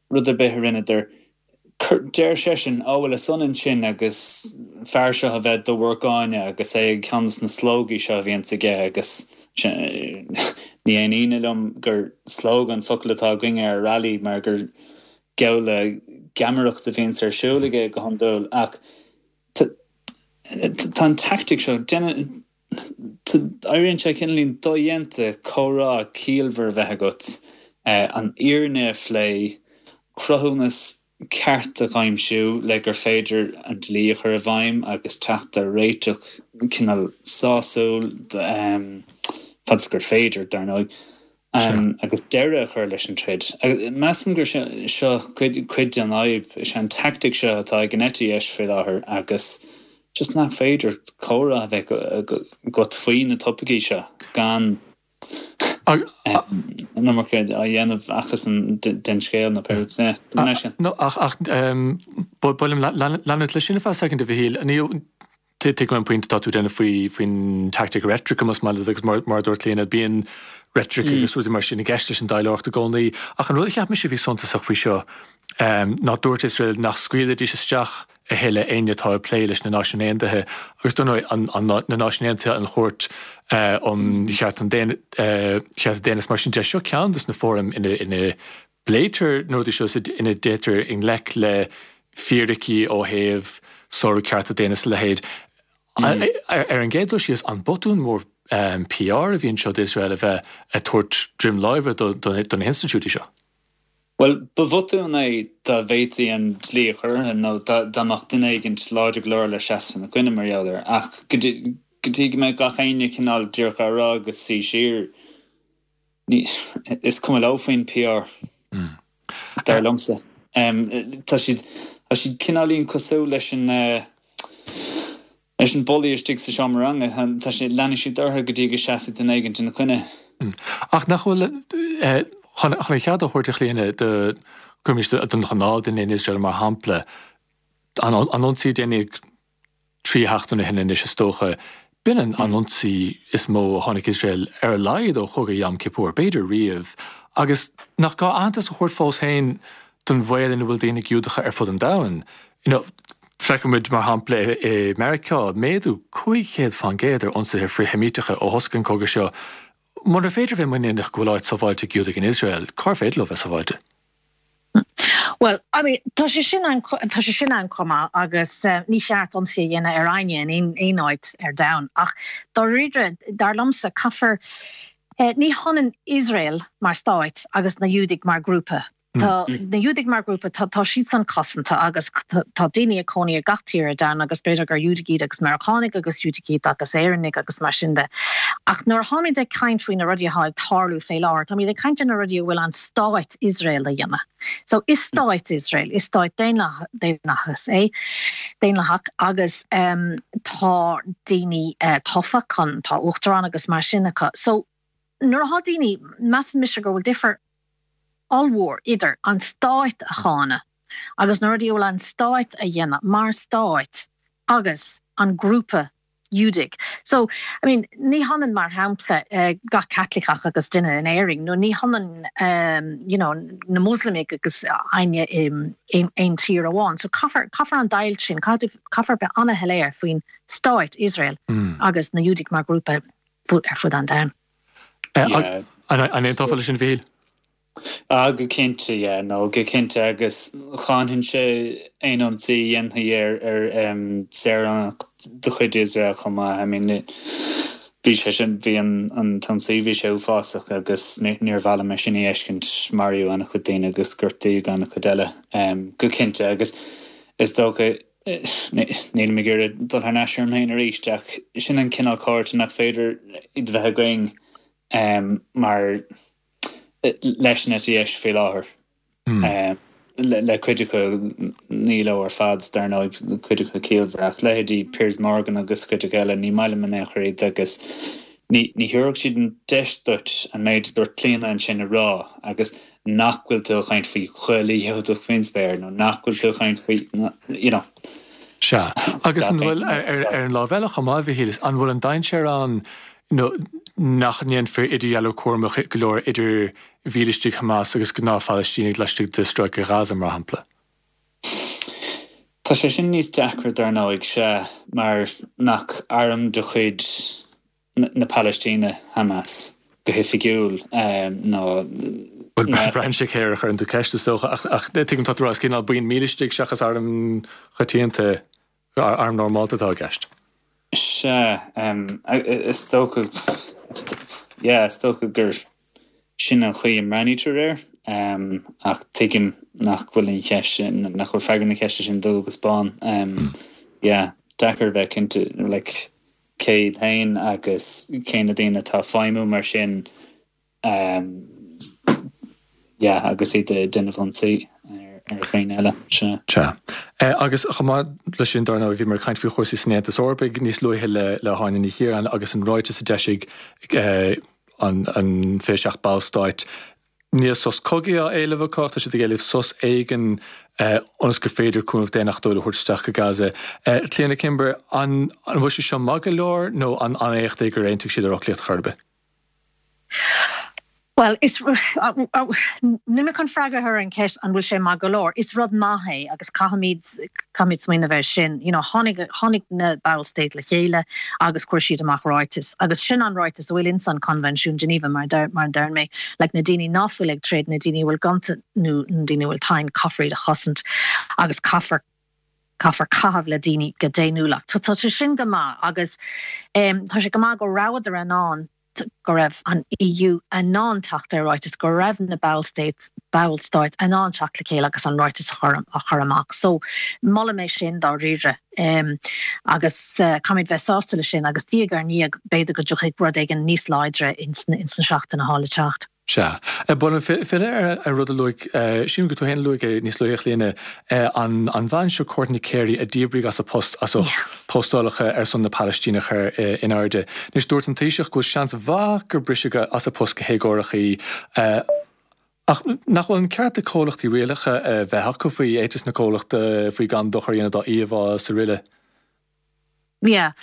rud ar bith a rinneadar, deir seisean, Á bhuel, is ionann sin agus fear seo a bheith do bhur gcáineadh agus é ag ceann de na slógaí seo a bhíonns aige agus ní haon ionadh liom gur slógadh an focal atá againne ar rally mar gur geall le geamaireacht a bhíonns ar siúl aige go hiondúil ach tá an teaictic seo, éiríonn sé cineáilín dodhéanta comhrá ciallmhar a bheith agat, an fhírinne a phlé, cruthúnas ceart a aimsiú le gur féidir an dlí a chur i bhfeidhm agus teacht ar réiteach cineál sásúil, fad is gur féidir, dar ndóigh. agus deireadh a chur leis an troid. Measaim gur seo cuid den fhadhb, is é an teaictic seo atá ag an eite dheis faoi láthair agus just nach féidir comhrá a bheith agat faoi na topaicí seo gan an iomarca a dhéanamh acusan den scéal nó pé rud é. No, ach, ach, ba mhaith liom leanúint leis sin ar feadh soicind, a Mhichíl. Tuigim an pointe atá tú ag déanamh faoi faoin teaictic reitrice más maith leat agus mar mar a dúirt Clíona bíonn reitric agus rudaí mar sin i gceist leis an taidhleoireacht i gcónaí. Ach an rud a cheap mise a bhí suntasach faoi seo ná dúirt Iosrael nach scaoilfidís isteach a thuilleadh éinne atá ag plé leis na Náisiúin Aontaithe agus dar ndóigh an an na Náisiúin Aontaithe an Chúirt um Chearta an Daonna Chearta Daonna is mar sin de seo ceann dos na fóraim ina ina bpléitear na rudaí seo ina dtéitear i ngleic le fíricí ó thaobh sárú cearta daonna is a leithéid. Ar an gcéad dul síos, an botún mór PR a bhí anseo d'Iosrael a bheith ag tabhairt droim láimhe do na hinstitiúidí seo? Bhuel, ba bhotún é dá bhféadfaí an dlí a chur orthu nó dá mbeadh duine éigin láidir go leor le seasamh ina gcoinne mar gheall air. Ach go dtí go mbeidh gach éinne cineál díreach á rá agus suí siar, Is cuma leo faoin PR, dar liomsa. Tá siad, tá siad cineáilín cosúil leis an, leis an bulaí istigh sa seomra ranga. Tá siad, leanfaidh siad orthu go dtí go seasfaidh duine éigin ina coinne. Ach nach bhfuil, chun an cead a thabhairt a Chlíona do, cuirimis don ghnáthdhuine in Iosrael mar shampla, an ionsaí a déanadh 3 sheachtain ó shin anois is dócha. B'in an ionsaí is mó a chonaic Iosrael ar a laghad ó chogadh Yom Kippur, b'fhéidir riamh. Agus nach gá aitheantas a thabhairt fós féin don bhaol ina bhfuil daoine Giúdacha ar fud an domhain? You know, feicimid, mar shampla, i Meiriceá, méadú 500 fán gcéad ar ionsaithe frith-Sheimíteacha ó thosaigh an cogadh seo. Munar féidir a bheith muiníneach go bhfuil áit sábháilte ag Giúdaigh in Iosrael, cár féidir leo bheith sábháilte? Bhuel, I mean, tá sé sin an, tá sé sin ann chomh maith agus ní cheart ionsaí a dhéanamh ar éinne in aon, aon áit ar domhan. Ach dáiríre, dar liomsa, caithfear, ní hionann Iosrael mar stáit agus na Iúdaigh mar grúpa. Tá na Iúdaigh mar ghrúpa, tá, tá siadsan cosanta agus tá daoine ag cónaí i gach tír ar domhan agus b'fhéidir gur Iúdaigh iad agus Meiriceánaigh agus Iúdaigh iad agus Éireannaigh agus mar sin de. Ach nuair atáimid ag caint faoi na rudaí atá ag tarlú fé láthair, táimid ag caint ar na rudaí a bhfuil an stáit Iosrael a dhéanamh. So is stáit Iosrael, is stáit daonlathas é, daonlathach agus tá daoine tofa chun, tá uachtarán agus mar sin acu. So nuair atá daoine, measann mise go bhfuil difear ollmhór idir an stáit a cháineadh agus na rudaí a bhfuil an stáit a dhéanamh mar stáit agus an grúpa Iúdaigh. So, I mean, ní hionann, mar shampla, gach Caitliceach agus duine in Éirinn, nó ní hionann, you know, na Muslamaigh agus éinne in aon tír amháin. So caithfear, caithfear an deighilt sin, caithfear bheith an-shoiléir faoin stáit, Iosrael, agus na Iúdaigh mar ghrúpa ar fud an domhain. An aontófá leis sin, a Mhíchíl? Ah, go cinnte, yeah, no, go cinnte, agus cháinfinnse aon ionsaí a dhéanfaí ar, ar saoránach de chuid Iosrael chomh maith. I mean, bhí sé sin, bhí an, an t-ionsaí, bhí sé uafásach agus níor mhaith liom é sin a fheiscint, maraíodh an-chuid daoine agus gortaíodh an-chuid eile, go cinnte, agus is dócha, Nílim ag iarraidh dul thar n-ais orm féin arís, ach sin an cineál comhráite nach féidir iad a bheith againn mar leis an eite dheis faoi láthair. Le cuid acu, ní leo ar fad, dar ndóigh, cuid acu ciallmhar, ach leithéidí Piers Morgan agus cuid acu eile, ní maith liom in aon chor iad agus ní thabharfadh siad an deis duit an méid a dúirt Clíona ansin a rá agus nach bhfuil tú ag caint faoi chuile Ghiúdach faoin spéir nó nach bhfuil tú ag caint faoi, you know. Sea. Agus an bhfuil, ar an lámh eile chomh maith, a Mhíchíl, an bhfuil an dainséar ann nó nach ndéanfar idirdhealú cúramach go leor idir mhílistigh Hamas agus gnáth-Phalaistínigh laistigh de Stráice Ghaza, mar shampla? Tá sé sin níos deacra, dar ndóigh, sea, mar nach arm de chuid na Palaistíne, Hamas, go hoifigiúil, nó. Bhuel, braitheann sé cé air a chuireann tú ceist, is dócha, ach tuigim tá tú ag rá is cineál buíon mílistigh seachas arm choitianta, arm normálta atá i gceist. Sea, is dócha, yeah, is dócha gur sin an chaoi a mbreathnaítear air, ach tuigim nach bhfuil an cheist sin, nach bhfuil freagra na ceiste sin dubh agus bán. Yeah, deacair a bheith cinnte, like, cé iad féin agus cé na daoine atá ag feidhmiú mar sin yeah agus iad ag déanamh ionsaí ar dhaoine eile. Sea. Sea. Agus chomh maith leis sin, dar ndóigh, bhíomar ag caint faoi chúrsaí san Aontas Eorpaigh níos luaithe le le hÁine Ní Chiaráin agus an ráiteas a d'eisigh an an 27 ballstáit Níl sos cogaidh á éileamh acu ach tá siad ag éileamh sos éigin ionas gur féidir cúnamh daonnachtúil a thabhairt isteach go Gaza. Clíona Kimber, an bhfuil sé seo maith go leor nó an an-éacht é gur aontaigh siad ar fhoclaíocht chor ar bith? Bhuel, is, níl mé chun freagra a chur ar an cheist an bhfuil sé maith go leor. Is rud maith é agus caithfimid, caithfimid smaoineamh air sin. You know, tháinig, tháinig na ballstáit le chéile agus chuir siad amach ráiteas. Agus sin an ráiteas a bhfuil ins an Coinbhinsiún Geneva, mar a deir mé, like na daoine ná fuil ag troid, na daoine a bhfuil gonta nó na daoine a bhfuil tinn, caithfear iad a chosaint agus caithfear, caithfear caitheamh le daoine go daonnúlach. So tá sé sin go maith agus tá sé go maith go rabhadar in ann go raibh an EU in ann teacht ar ráiteas, go raibh na ballstáit ballstáit in ann teacht le chéile agus an ráiteas a chur a chur amach. So molaim é sin dáiríre. Agus caithfimid bheith sásta leis sin agus diaidh ar ndiaidh b'fhéidir go dtiocfaidh rud éigin níos láidre ins na seachtainí atá le teacht. Sea. Ba mhaith liom filleadh ar rud a luaigh, sílim gur tú féin a luaigh é níos luaithe, a Chlíona, an bhean seo Courtney Carey a díbríodh as a post as ucht postálacha ar son na Palaistíne a chur in airde. Anois, dúirt an Taoiseach go bhfuil seans mhaith gur briseadh as a post go héagórach í. Ach nach bhfuil an ceart ag comhlachtaí rialacha a bheith acu faoi éiteas na comhlachta, faoi gan dochar a dhéanamh dá íomhá is araile? Yeah.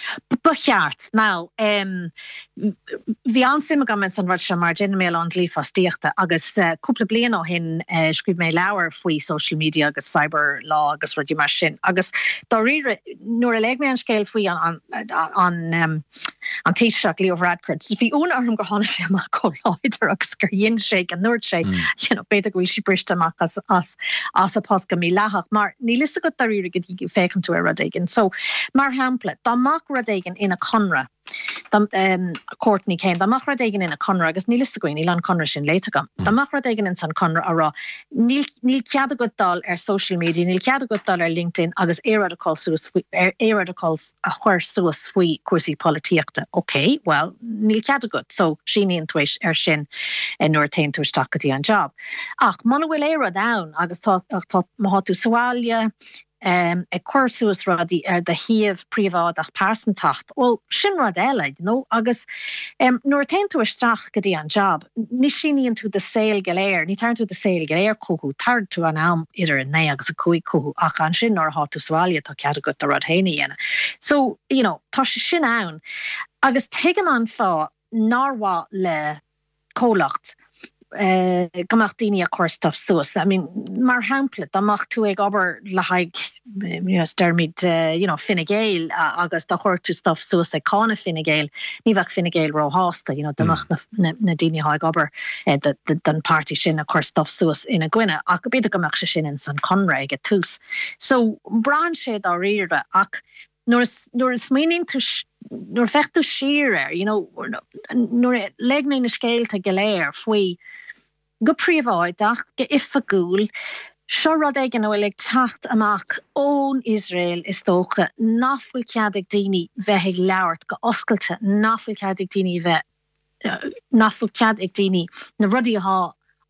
Ba cheart. Now, bhí an-suim agam ins an rud seo mar déanann mé a lán dlí fostaíochta agus cúpla bliain ó shin scríobh mé leabhar faoi social media agus cyber law agus rudaí mar sin agus dáiríre nuair a léigh mé an scéal faoi an an an Taoiseach Leo Varadkar bhí ionadh orm gur tháinig sé amach chomh láidir agus gur dhein sé go ndúirt sé you know b'fhéidir go bhfuil sí briste amach as as as a post go mídhleathach, mar níl fhios agat dáiríre go dtí go bhféachann tú ar rud éigin. So, mar shampla, dá mbeadh rud éigin ina conradh, dá, Courtney Kane, dá mbeadh rud éigin ina conradh, agus níl fhios againn, níl an conradh sin léite agam, dá mbeadh rud éigin ins an conradh a rá, níl, níl cead agat dul ar social media, níl cead agat dul ar LinkedIn agus aon rud a chur suas faoi, aon rud a chur suas faoi cúrsaí polaitíochta. Ok, well, níl cead agat, so síníonn tú ar sin nuair a théann tú isteach go dtí an job. Ach muna bhfuil aon rud ann agus tá, tá, má thá tú sa bhaile ag cur suas rudaí ar do shuíomh príobháideach pearsantacht, bhuel, sin rud eile, you know, agus nuair a théann tú isteach go dtí an job, ní síníonn tú do saol go léir, ní tharraing tú do saol go léir chucu, tarraing tú an am idir 9 agus 5 chucu ach ansin nuair athá tú sa bhaile tá cead agat do rud féin a dhéanamh. So, you know, tá sé sin ann agus tuigim an fáth nár mhaith le comhlacht go mbeadh daoine ag cur stuff suas. I mean, mar shampla, dá mbeadh tú ag obair le haghaidh, you know, deirimid, you know, Fine Gael agus dá chuirfeadh tú stuff suas ag cáineadh Fine Gael, ní bheadh Fine Gael róshásta, you know, dá mbeadh na, na, na daoine atá ag obair don páirtí sin ag cur stuff suas ina gcoinne, ach b'fhéidir go mbeadh sé sin ins an conradh ag an tús. So, braitheann sé dáiríre ach Nuair a smaoiníonn tú, nuair a féach tú siar air, you know, nuair a léigh mé na scéalta go léir faoi, go príobháideach, go oifigiúil, seo rud éigin a bhfuil ag teacht amach ón Iosrael is dócha, nach bhfuil cead ag daoine bheith ag labhairt go oscailte, nach bhfuil cead ag daoine bheith, nach bhfuil cead ag daoine na rudaí athá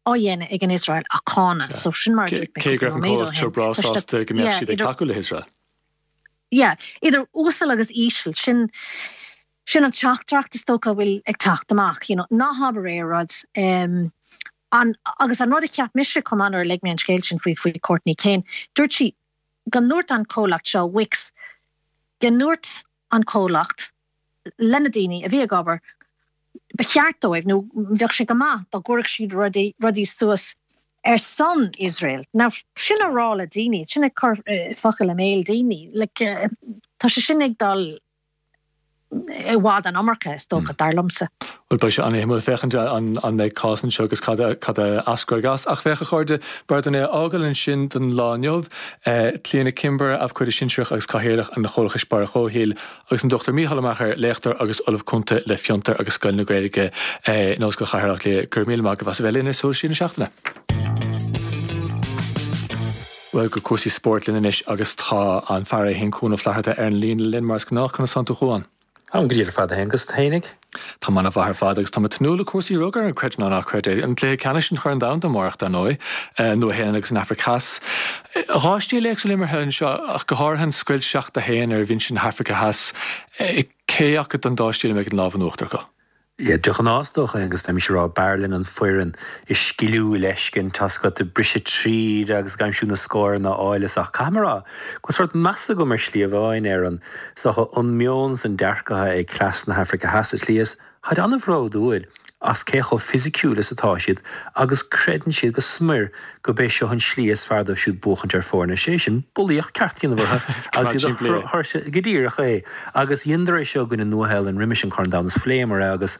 á dhéanamh ag an Iosrael a cháineadh. So sin mar a dúirt mé cúpla nóiméad ó shin. Cé go raibh an comhlacht seo breá sásta go mbeadh siad ag tacú le hIosrael. Yeah, idir uasal agus íseal, sin, sin an teachtaireacht is dócha a bhfuil ag teacht amach, you know, ná habair aon rud. Um, an, agus an rud a cheap mise chomh maith nuair a léigh mé an scéal sin faoi, faoi Courtney Kane, dúirt sí go ndúirt an comhlacht seo, Wix, go ndúirt an comhlacht le na daoine a bhí ag obair, ba cheart dóibh, nó bheadh sé go maith dá gcuirfeadh siad rudaí, rudaí suas ar son Iosrael. Now, sin a rá le daoine, sin ag cur focail i mbéal daoine, like, tá sé sin ag dul i bhfad an iomarca, is dócha, dar liomsa. Bhuel, beidh sé an-shuimiúil féachaint an mbeidh cás anseo agus cad a cad a eascróidh as. Ach féach, a chairde, b'fhearr dúinn é a fhágáil ansin don lá inniu. Clíona Kimber, Abhcóide Sinsearach agus Cathaoirleach an Chomhlachais Barra Comhshaoil, agus an Dr Mícheál Ó Meachair, léachtóir agus Ollamh Cúnta le Fiontar agus Scoil na Gaeilge in Ollscoil Chathair Átha Cliath. Go raibh míle maith agaibh as a bheith linn ar Súil Siar na Seachtaine. Bhuel, go cúrsaí spóirt linn anois agus tá an fear é féin Cuan Ó Flatharta ar an líne linn mar is gnách. Conas tánn tú a Chuain? Táim go diail ar fad a Aonghus, tú fhéinig? Táim ana-mhaith ar fad agus táim ag tnúth le cúrsaí rugair, creid nó ná creid é. An cluiche ceannais an Chorn Domhanda amárach, dar ndóigh, an Nua-Shéalainn agus an Afraic Theas. Dhá stíl éagsúil imeartha anseo ach go háirithe an scoilt 7-1 ar bhinse na hAfraice Theas. Cé acu den dá stíl a mbeidh an lámh in uachtar acu? Yeah, de ghnáth is dócha, Aonghus, bheimis ag rá b'fhearr linn an foireann is sciliúil a fheiscint, tá a fhios agat, ag briseadh tríd agus ag aimsiú na scóranna áille ach caithfidh mé a rá go bhfuil sórt meas agam ar shlí amháin ar an, is dócha, an meon is an dearcadh atá ag cleas na hAfraice Theas sa tslí is táid an-bhródúil as cé chomh fisiciúil is atá siad agus creideann siad go smior go b'é seo an slí is fearr dóibh siúd buachaint ar foirne, sé sin, bulaíocht ceart a dhéanamh orthu agus iad a chur go díreach é. Agus dheineadar é seo i gcoinne Nua-Shéalainn roimis an Corn Domhanda is phléamar é agus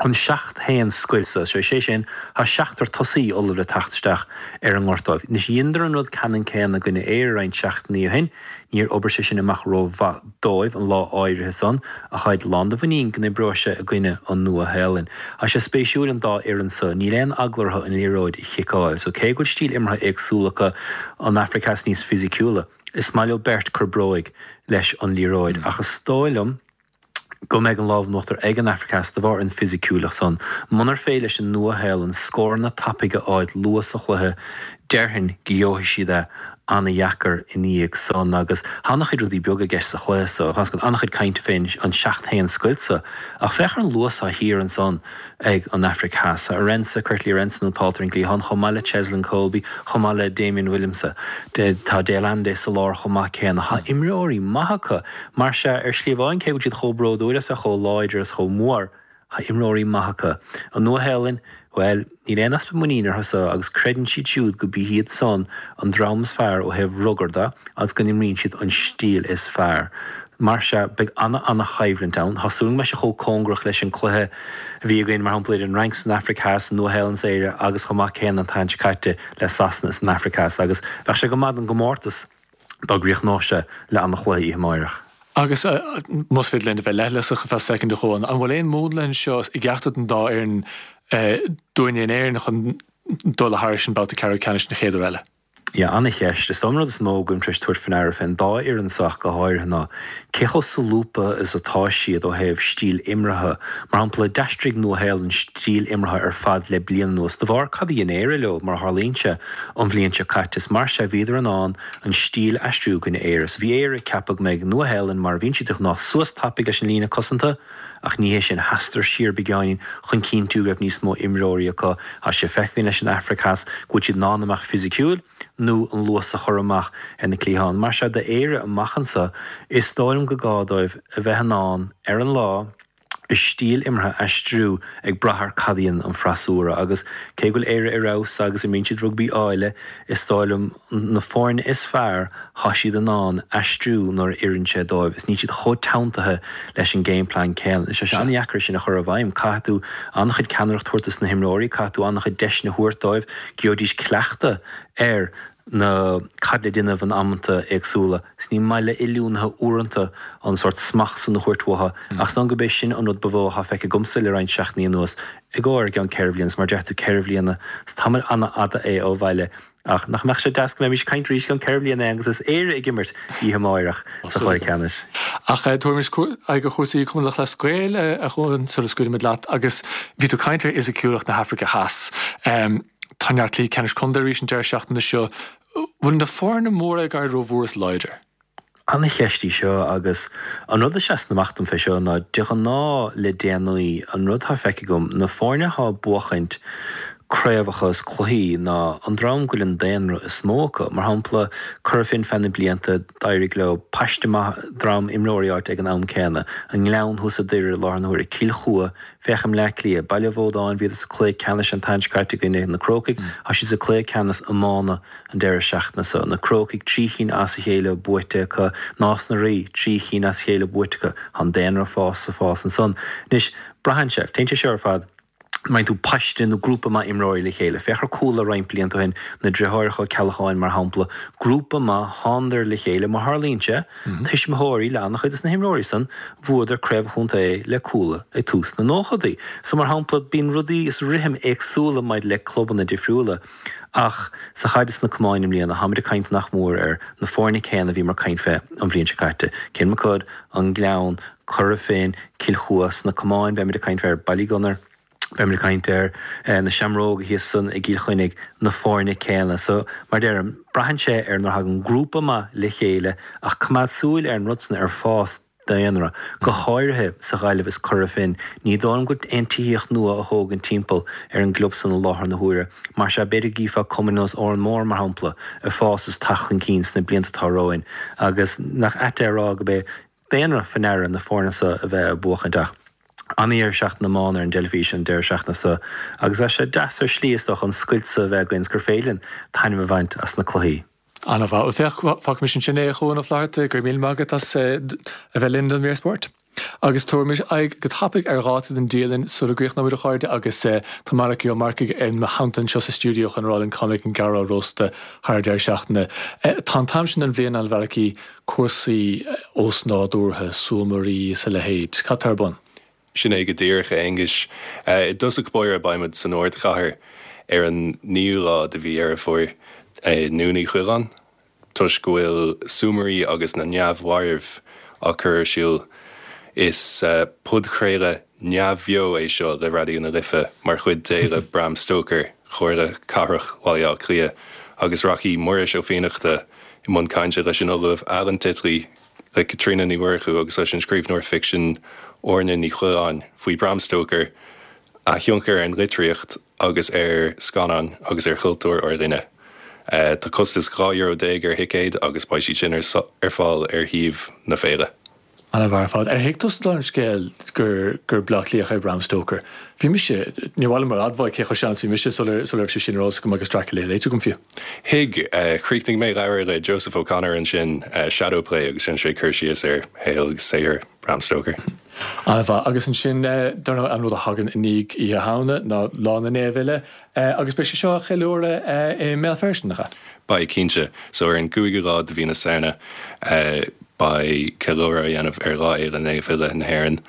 an 7-1 scoilt suas, sé sin, tá seachtar tosaí ullamh le teacht isteach ar an ngort dóibh. Anois dheineadar an rud ceannann céanna i gcoinne Éire roinnt seachtainí ó shin, níor obair sé sin amach rómhaith dóibh an lá áirithe san, ach táid lán de mhuinín go n-oibreoidh sé i gcoinne an Nua-Shéalainn. Tá sé spéisiúil an dá fhoireann so, níl aon eagla orthu an liathróid a chiceáil. So cé go bhfuil stíl imeartha éagsúil acu, an Afraic Theas níos fisiciúla, is maith leo beirt cur bróig leis an liathróid. Ach is dóigh liom go mbeidh an lámh in uachtar ag an Afraic Theas de bharr an fisiciúlacht san. Munar féidir leis an Nua-Shéalainn scóranna tapaidh a fháil luath sa chluiche, déarfainn go gheobhaidh siad é. Ana-dheacair ina dhiaidh san agus tá an-chuid rudaí beaga i gceist sa chluiche so. Tá an-chuid cainte fén an 7-1 scoilt so ach féach ar an luas atá thiar ansan ag an Afraic Theas. Tá Arendse, Kurt-Lee Arendse nótálta ar an gcliathán chomh maith le Cheslin Kolbe, chomh maith le Damian Willemse. Tá De Allende sa lár chomh maith céanna. Tá imreoirí maithe acu. Mar sea, ar shlí amháin cé go bhfuil siad chomh bródúil as bheith chomh láidir is chomh mór, Tá imreoirí maithe acu. An Nua-Shéalainn, bhuel, níl aon easpa muiníne orthu so agus creideann siad siúd go bí hiad san an dream is fearr ó thaobh rugair de agus go n-imríonn siad an stíl is fearr. Mar sea, beidh ana-ana-choimhlint ann. Tá súil agam go mbeidh sé chomh cóngarach leis an cluiche a bhí againn, mar shampla, idir an Fhrainc is an Afraic Theas, an Nua-Shéalainn is Éire agus chomh maith céanna an tseachtain seo caite le Sasana is an Afraic Theas agus bheadh sé go maith don gcomórtas. dá gcríochnódh sé le ana-chluiche oíche amáireach. Agus más féidir linn a bheith leithleasach ar feadh soicind a Chuain, an bhfuil aon mhúnla anseo i gceachtar den dá fhoireann dúinne in Éirinn chun dul thairis an babhta ceathrú ceannais an chéad uair eile? Yeah, ana-cheist. Is dóigh liom an rud is mó go bhfuilim tar éis tabhairt faoi ndeara fén dá fhoireann so ach go háirithe ná cé chomh solúbtha is atá siad ó thaobh stíl imeartha. Mar shampla, d'aistrigh Nua-Shéalainn stíl imeartha ar fad le bliain anuas de bharr cad a dhein Éire leo, mar a tharlaíonn sé. An bhliain seo caite, is mar sea bhíodar in ann an stíl a aistriú i gcoinne Éire. So bhí Éire ag ceapadh go mbeidh Nua-Shéalainn mar a bhíonn siad de ghnáth suas tapaidh leis an líne cosanta, ach ní hé sin, sheasadar siar beagáinín chun cinntiú go raibh níos mó imreoirí acu. Tá sé feicthe againn leis an Afraic Theas go bhfuil siad in ann a mbeadh fisiciúil nó an luas a chur amach ar na cliatháin. Mar sea d'Éire amach anso, is dóigh liom go gá dóibh a bheith in ann ar an lá, a stíl imeartha a aistriú ag brath ar cad a dhéanann an freasúra agus cé go bhfuil Éire ar fheabhas agus imríonn siad rugbaí áille, is dóigh liom na foirne is fearr tá siad in ann aistriú nuair a oireann sé dóibh is níl siad chomh teanntaithe leis an game plan céanna. Tá sé an-dheacair sin a chur i bhfeidhm. Caithfidh tú an-chuid ceannaireacht a thabhairt dos na himreoirí, caithfidh tú an-chuid deiseanna a thabhairt dóibh, gheobhaidís cleachtadh ar na cad le déanamh in amanta éagsúla. 'S ní maith le oiliúnaithe uaireanta an sórt smacht san a thabhairt uathu, ach is dóigh liom gurb é sin an rud ba mhó atá feicthe agamsa le roinnt seachtainí anuas, i gcomhair i gceann ceithre bhliana, 's mar a deir tú, ceithre bhliana, 's tamall an-fhada é ó bhaile. Ach nach mbeadh sé deas go mbeimis ag caint arís i gceann ceithre bhliana agus is Éire ag imirt oíche amáireach sa chluiche ceannais. Ach tabharaimis aghaidh ar chúrsaí Chumann Lúthchleas Gael, a Chuain, sula scaoilfimid leat, agus bhí tú ag caint ar fhisiciúlacht na hAfraice Theas. Tá neart cluichí ceannais contae arís an deireadh seachtaine seo. Bhfuil na foirne móra ag éirí rómhór is láidir? Ana-cheist í seo agus an rud a seasann amach dom fé seo ná de ghnáth le déanaí an rud atá feicthe agam, na foirne atá ag buachaint craobhacha is cluichí ná an dream go bhfuil an daonra is mó acu. Mar shampla, Cora Finne feadh na blianta, d'éirigh leo paiste maith dream imreoirí a fháilt ag an am céanna. An nGleann thuas i Doire i láthair na huaire, Cill Chua, Féach i mBleá Cliath, Baile Bhódáin, bhíodar sa cluiche ceannais an tseachtain seo caite i gcoinne na Crócaigh, tá siad sa cluiche ceannais iomána an deireadh seachtaine seo. Na Crócaigh, 3 chinn as a chéile buaite acu, Nás na Rí, 3 chinn as a chéile buaite acu. Tá an daonra ag fás, ag fás ansan. Anois, braitheann sé, téann sé seo ar fad, má fhaigheann tú paiste nó grúpa maith imreoirí le chéile. Féach ar Cuala roinnt blianta ó shin, na driotháireacha Ó Ceallacháin mar shampla, grúpa maith, thánadar le chéile, mar tharlaíonn sé, Tuismitheoirí le an-chuid des na himreoirí san, bhuadar craobh an chontae le Cuala ag tús na nóchadaí. So mar shampla, bíonn rudaí is rithim éagsúla maidir le clubanna difriúla. Ach sa chaid is sna camáin i mbliana, táimid ag caint nach mór ar na foirne céanna a bhíomar ag caint fé an bhliain seo caite. Kilmacud, An Gleann, Cora Finne, Cill Chua. Sna camáin beimid ag caint fé ar Ballygunner, Beimid ag caint ar na Seamróga thíos san i gCill Chainnigh, na foirne céanna. So, mar deirim, braitheann sé ar nuair a thagann grúpa maith le chéile ach coimeád súil ar an rud san ar fás daonra, go háirithe sa Ghaillimh is Cora Finne. Ní dóigh liom go bhfuil aon tithíocht nua á thógaint timpeall ar an gclub san i láthair na huaire. Mar sea, b'fhéidir go gcífeá cumainn ar nós Órán Mór, mar shampla, ag fás is teacht chun cinn sna blianta atá romhainn agus nach ait é a rá go b'é daonra faoi ndeara na foirne seo a bheith ag buachaint ach an-deireadh seachtaine iomána ar an dteilifís an deireadh seachtaine seo agus tá sé deas ar shlí is dócha an scoilt seo a bheith againn is gur féidir linn taitneamh a bhaint as na cluichí. An-mhaith. Bhuel féach, fágfaimis ansin é a Chuain Ó Flatharta, go raibh míle maith agat as a bheith linn don mhír spóirt. Agus tabharaimis aghaidh go tapaidh ar dháta don dialann sula gcríochnóimid a chairde agus tá Malachy Ó Marcaigh i mo theannta anseo sa stiúideo chun a rá linn cá mbeidh an gearrán rósta thar an deireadh seachtaine. Tá an t-am sin den bhliain ann a Mhalachy, cúrsaí ósnádúrtha, súmairí is a leithéid. Cad tá ar bun? Sin é go díreach, a Aonghuis. I dtosach báire beimid san ardchathair ar an naoú lá de mhí Dheireadh Fómhair i nDún Uí Choileáin toisc go bhfuil Súmairí agus na Neamh-Mhairbh á cur ar siúl. Is podchraoladh neamhbheo é seo le Raidió na Life mar chuid d'Fhéile Bram Stoker Chomhairle Cathrach Bhaile Átha Cliath agus rachaidh Muiris Ó Fiannachta. i mbun cainte leis an Ollamh Alan Titley, le Caitríona Ní Mhurchú agus leis an scríbhneoir ficsin Áine Ní Choileáin faoi Bram Stoker, a thionchar ar an litríocht agus ar scannáin agus ar chultúr ár linne. Tá costas €12 ar thicéid agus beidh siad sin ar fáil ar shuíomh na féile. An-mhaith ar fad. Ar thuig tusa an scéal gur gur Bleá Cliathach é Bram Stoker? Bhí mise, níor mhaith liom a admháil cé chomh sean is a bhí mise sula sula raibh sé sin ar eolas agam agus Dracula léite agam fiú. Thuig. Chríochnaigh mé leabhar le Joseph O'Connor ansin, Shadow Play, agus déanann sé cur síos ar shaol agus saothar Bram Stoker. An-mhaith. Agus ansin, dar ndóigh, an rud a thagann i ndiaidh Oíche Shamhna ná Lá na Naomh Uile. Agus beidh sé seo á cheiliúradh i mBéal Feirste, nach ea? Beidh, cinnte. So ar an gcúigiú lá de mhí na Samhna beidh ceiliúradh á dhéanamh ar Lá Fhéile Naomh Uile na hÉireann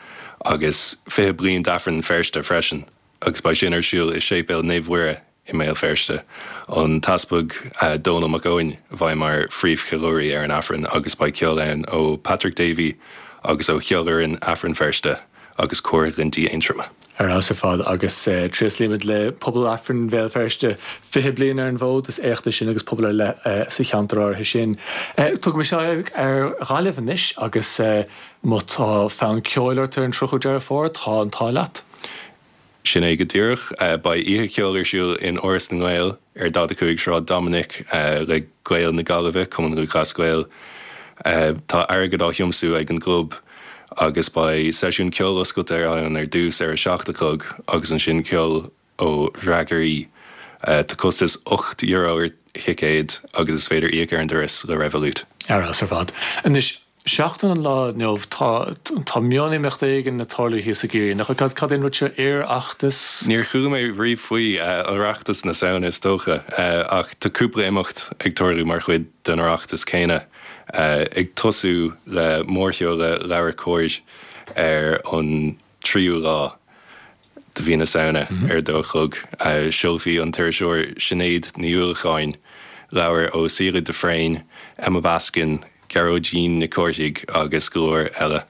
agus 20 bliain d'Aifreann Feirste freisin agus beidh sin ar siúl i Séipéal Naomh Mhuire i mBéal Feirste. An tEaspag Dónall Mac Eoin a bheidh mar phríomhcheiliúraí ar an Aifreann agus beidh ceol ann ó Patrick Davey agus ó Cheolfhoireann Aifreann Feirste. agus Cór Ghlinntí Aontroma. Ar fheabhas ar fad agus tréaslaímid le pobal Aifrinn Bhéal Feirste 20 bliain ar an bhfód, is éacht é sin agus pobal ar leith sa cheantar áirithe sin. Tugaimis aghaidh ar Ghaillimh anois agus má tá fonn ceoil ort ar an 30ú Deireadh Fómhair, tá an t-ádh leat. Sin é go díreach. Beidh oíche cheoil ar siúl in Áras na nGael ar 45 Sráid Dominic le Gaeil na Gaillimhe, Cumann Lúthchleas Gael. Tá airgead á thiomsú ag an gclub agus beidh seisiún ceoil oscailte ann ar dtús ar a 7 a chlog agus ansin ceol ó dhreagairí. Tá costas €8 ar thicéad agus is féidir íoc ar an doras le Revolut. Ar fheabhas ar fad. Anois, seachtain an lá inniu, tá, tá mion-imeacht éigin ag tarlú thíos i gCiarraí, nach bhfuil? Cad é an rud seo? Oireachtas? Níor chuala mé riamh faoi, Oireachtas na Samhna is dócha, ach tá cúpla imeacht ag tarlú mar chuid den Oireachtas céanna, ag tosú le mórsheoladh LeabhairCOMHAR ar an tríú lá de mhí na Samhna ar a dó a chlog. Seolfaidh an t-iriseoir Sinéad Ní Uallacháin leabhair ó Síle de Fréine, Emma Baskin, Gearóidín Nic Cárthaigh agus go leor eile.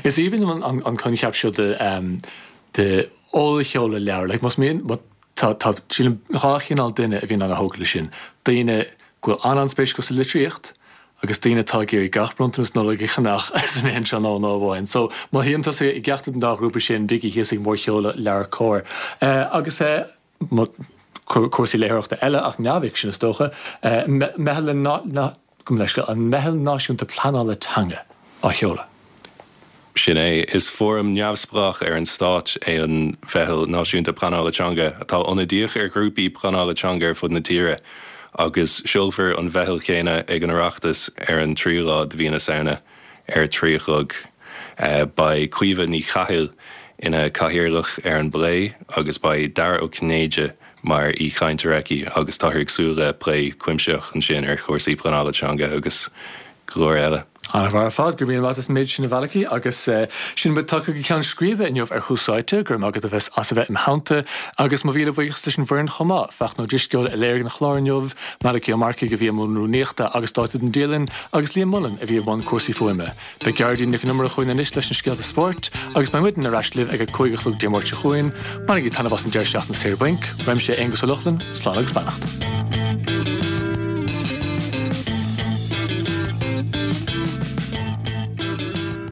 Is aoibhinn liom an coincheap seo de ollsheoladh leabhar. Like, más mian, tá, tá, sílim, dhá chineál duine a bhíonn ana-thógtha leis sin. Daoine go bhfuil an-an-spéis acu sa litríocht agus daoine atá ag iarraidh gach bronntanas Nollag a cheannach san aon tráthnóna amháin. So, má shuíonn tusa i gceachtar den dá ghrúpa sin, bígí thíos ag mórsheoladh LeabhairCOMHAR. Agus cúrsaí léitheoireachta eile, ach neamhfhicsin is dócha, Meitheal na, gabh mo leithscéal, an Meitheal Náisiúnta Pleanála Teanga á sheoladh. Sin é. Is fóram neamhspleách ar an stát é an Mheitheal Náisiúnta Pleanála Teanga, atá ionadaíoch ar ghrúpaí pleanála teanga ar fud na tíre, agus seolfar an mheitheal chéanna ag an Oireachtas ar an tríú lá de mhí na Samhna ar a trí a chlog. Beidh Caoimhe Ní Chathail ina cathaoirleach ar an bplé agus beidh Dara Ó Cinnéide mar aoichainteoir aici agus táthar ag súil le plé cuimsitheach ansin ar chúrsaí pleanála teanga agus go leor eile. An-mhaith ar fad, go raibh míle maith agat as an méid sin a Mhalachy agus sin muid tagtha go ceann scríbe inniu ar Thús Áite, go raibh maith agat a bheith as a bheith im theannta agus mo mhíle buíochas leis an bhfoireann chomh maith, Fachtna Ó Drisceoil a léirigh an clár inniu, Malachy Ó Marcaigh a bhí i mbun rúnaíochta agus dáta don dialann agus Liam Mullen a bhí i mbun cúrsaí fuaime. Beidh Gearóidín Nic an Iomaire chugainn anois leis na scéalta spóirt agus beidh muidne ar ais libh ag a 5 a chlog Dé Máirt seo chugainn. Bainigí taitneamh as an deireadh seachtaine saor bainc. Uaimse, Aonghus Ó Lochlainn, slán agus beannacht.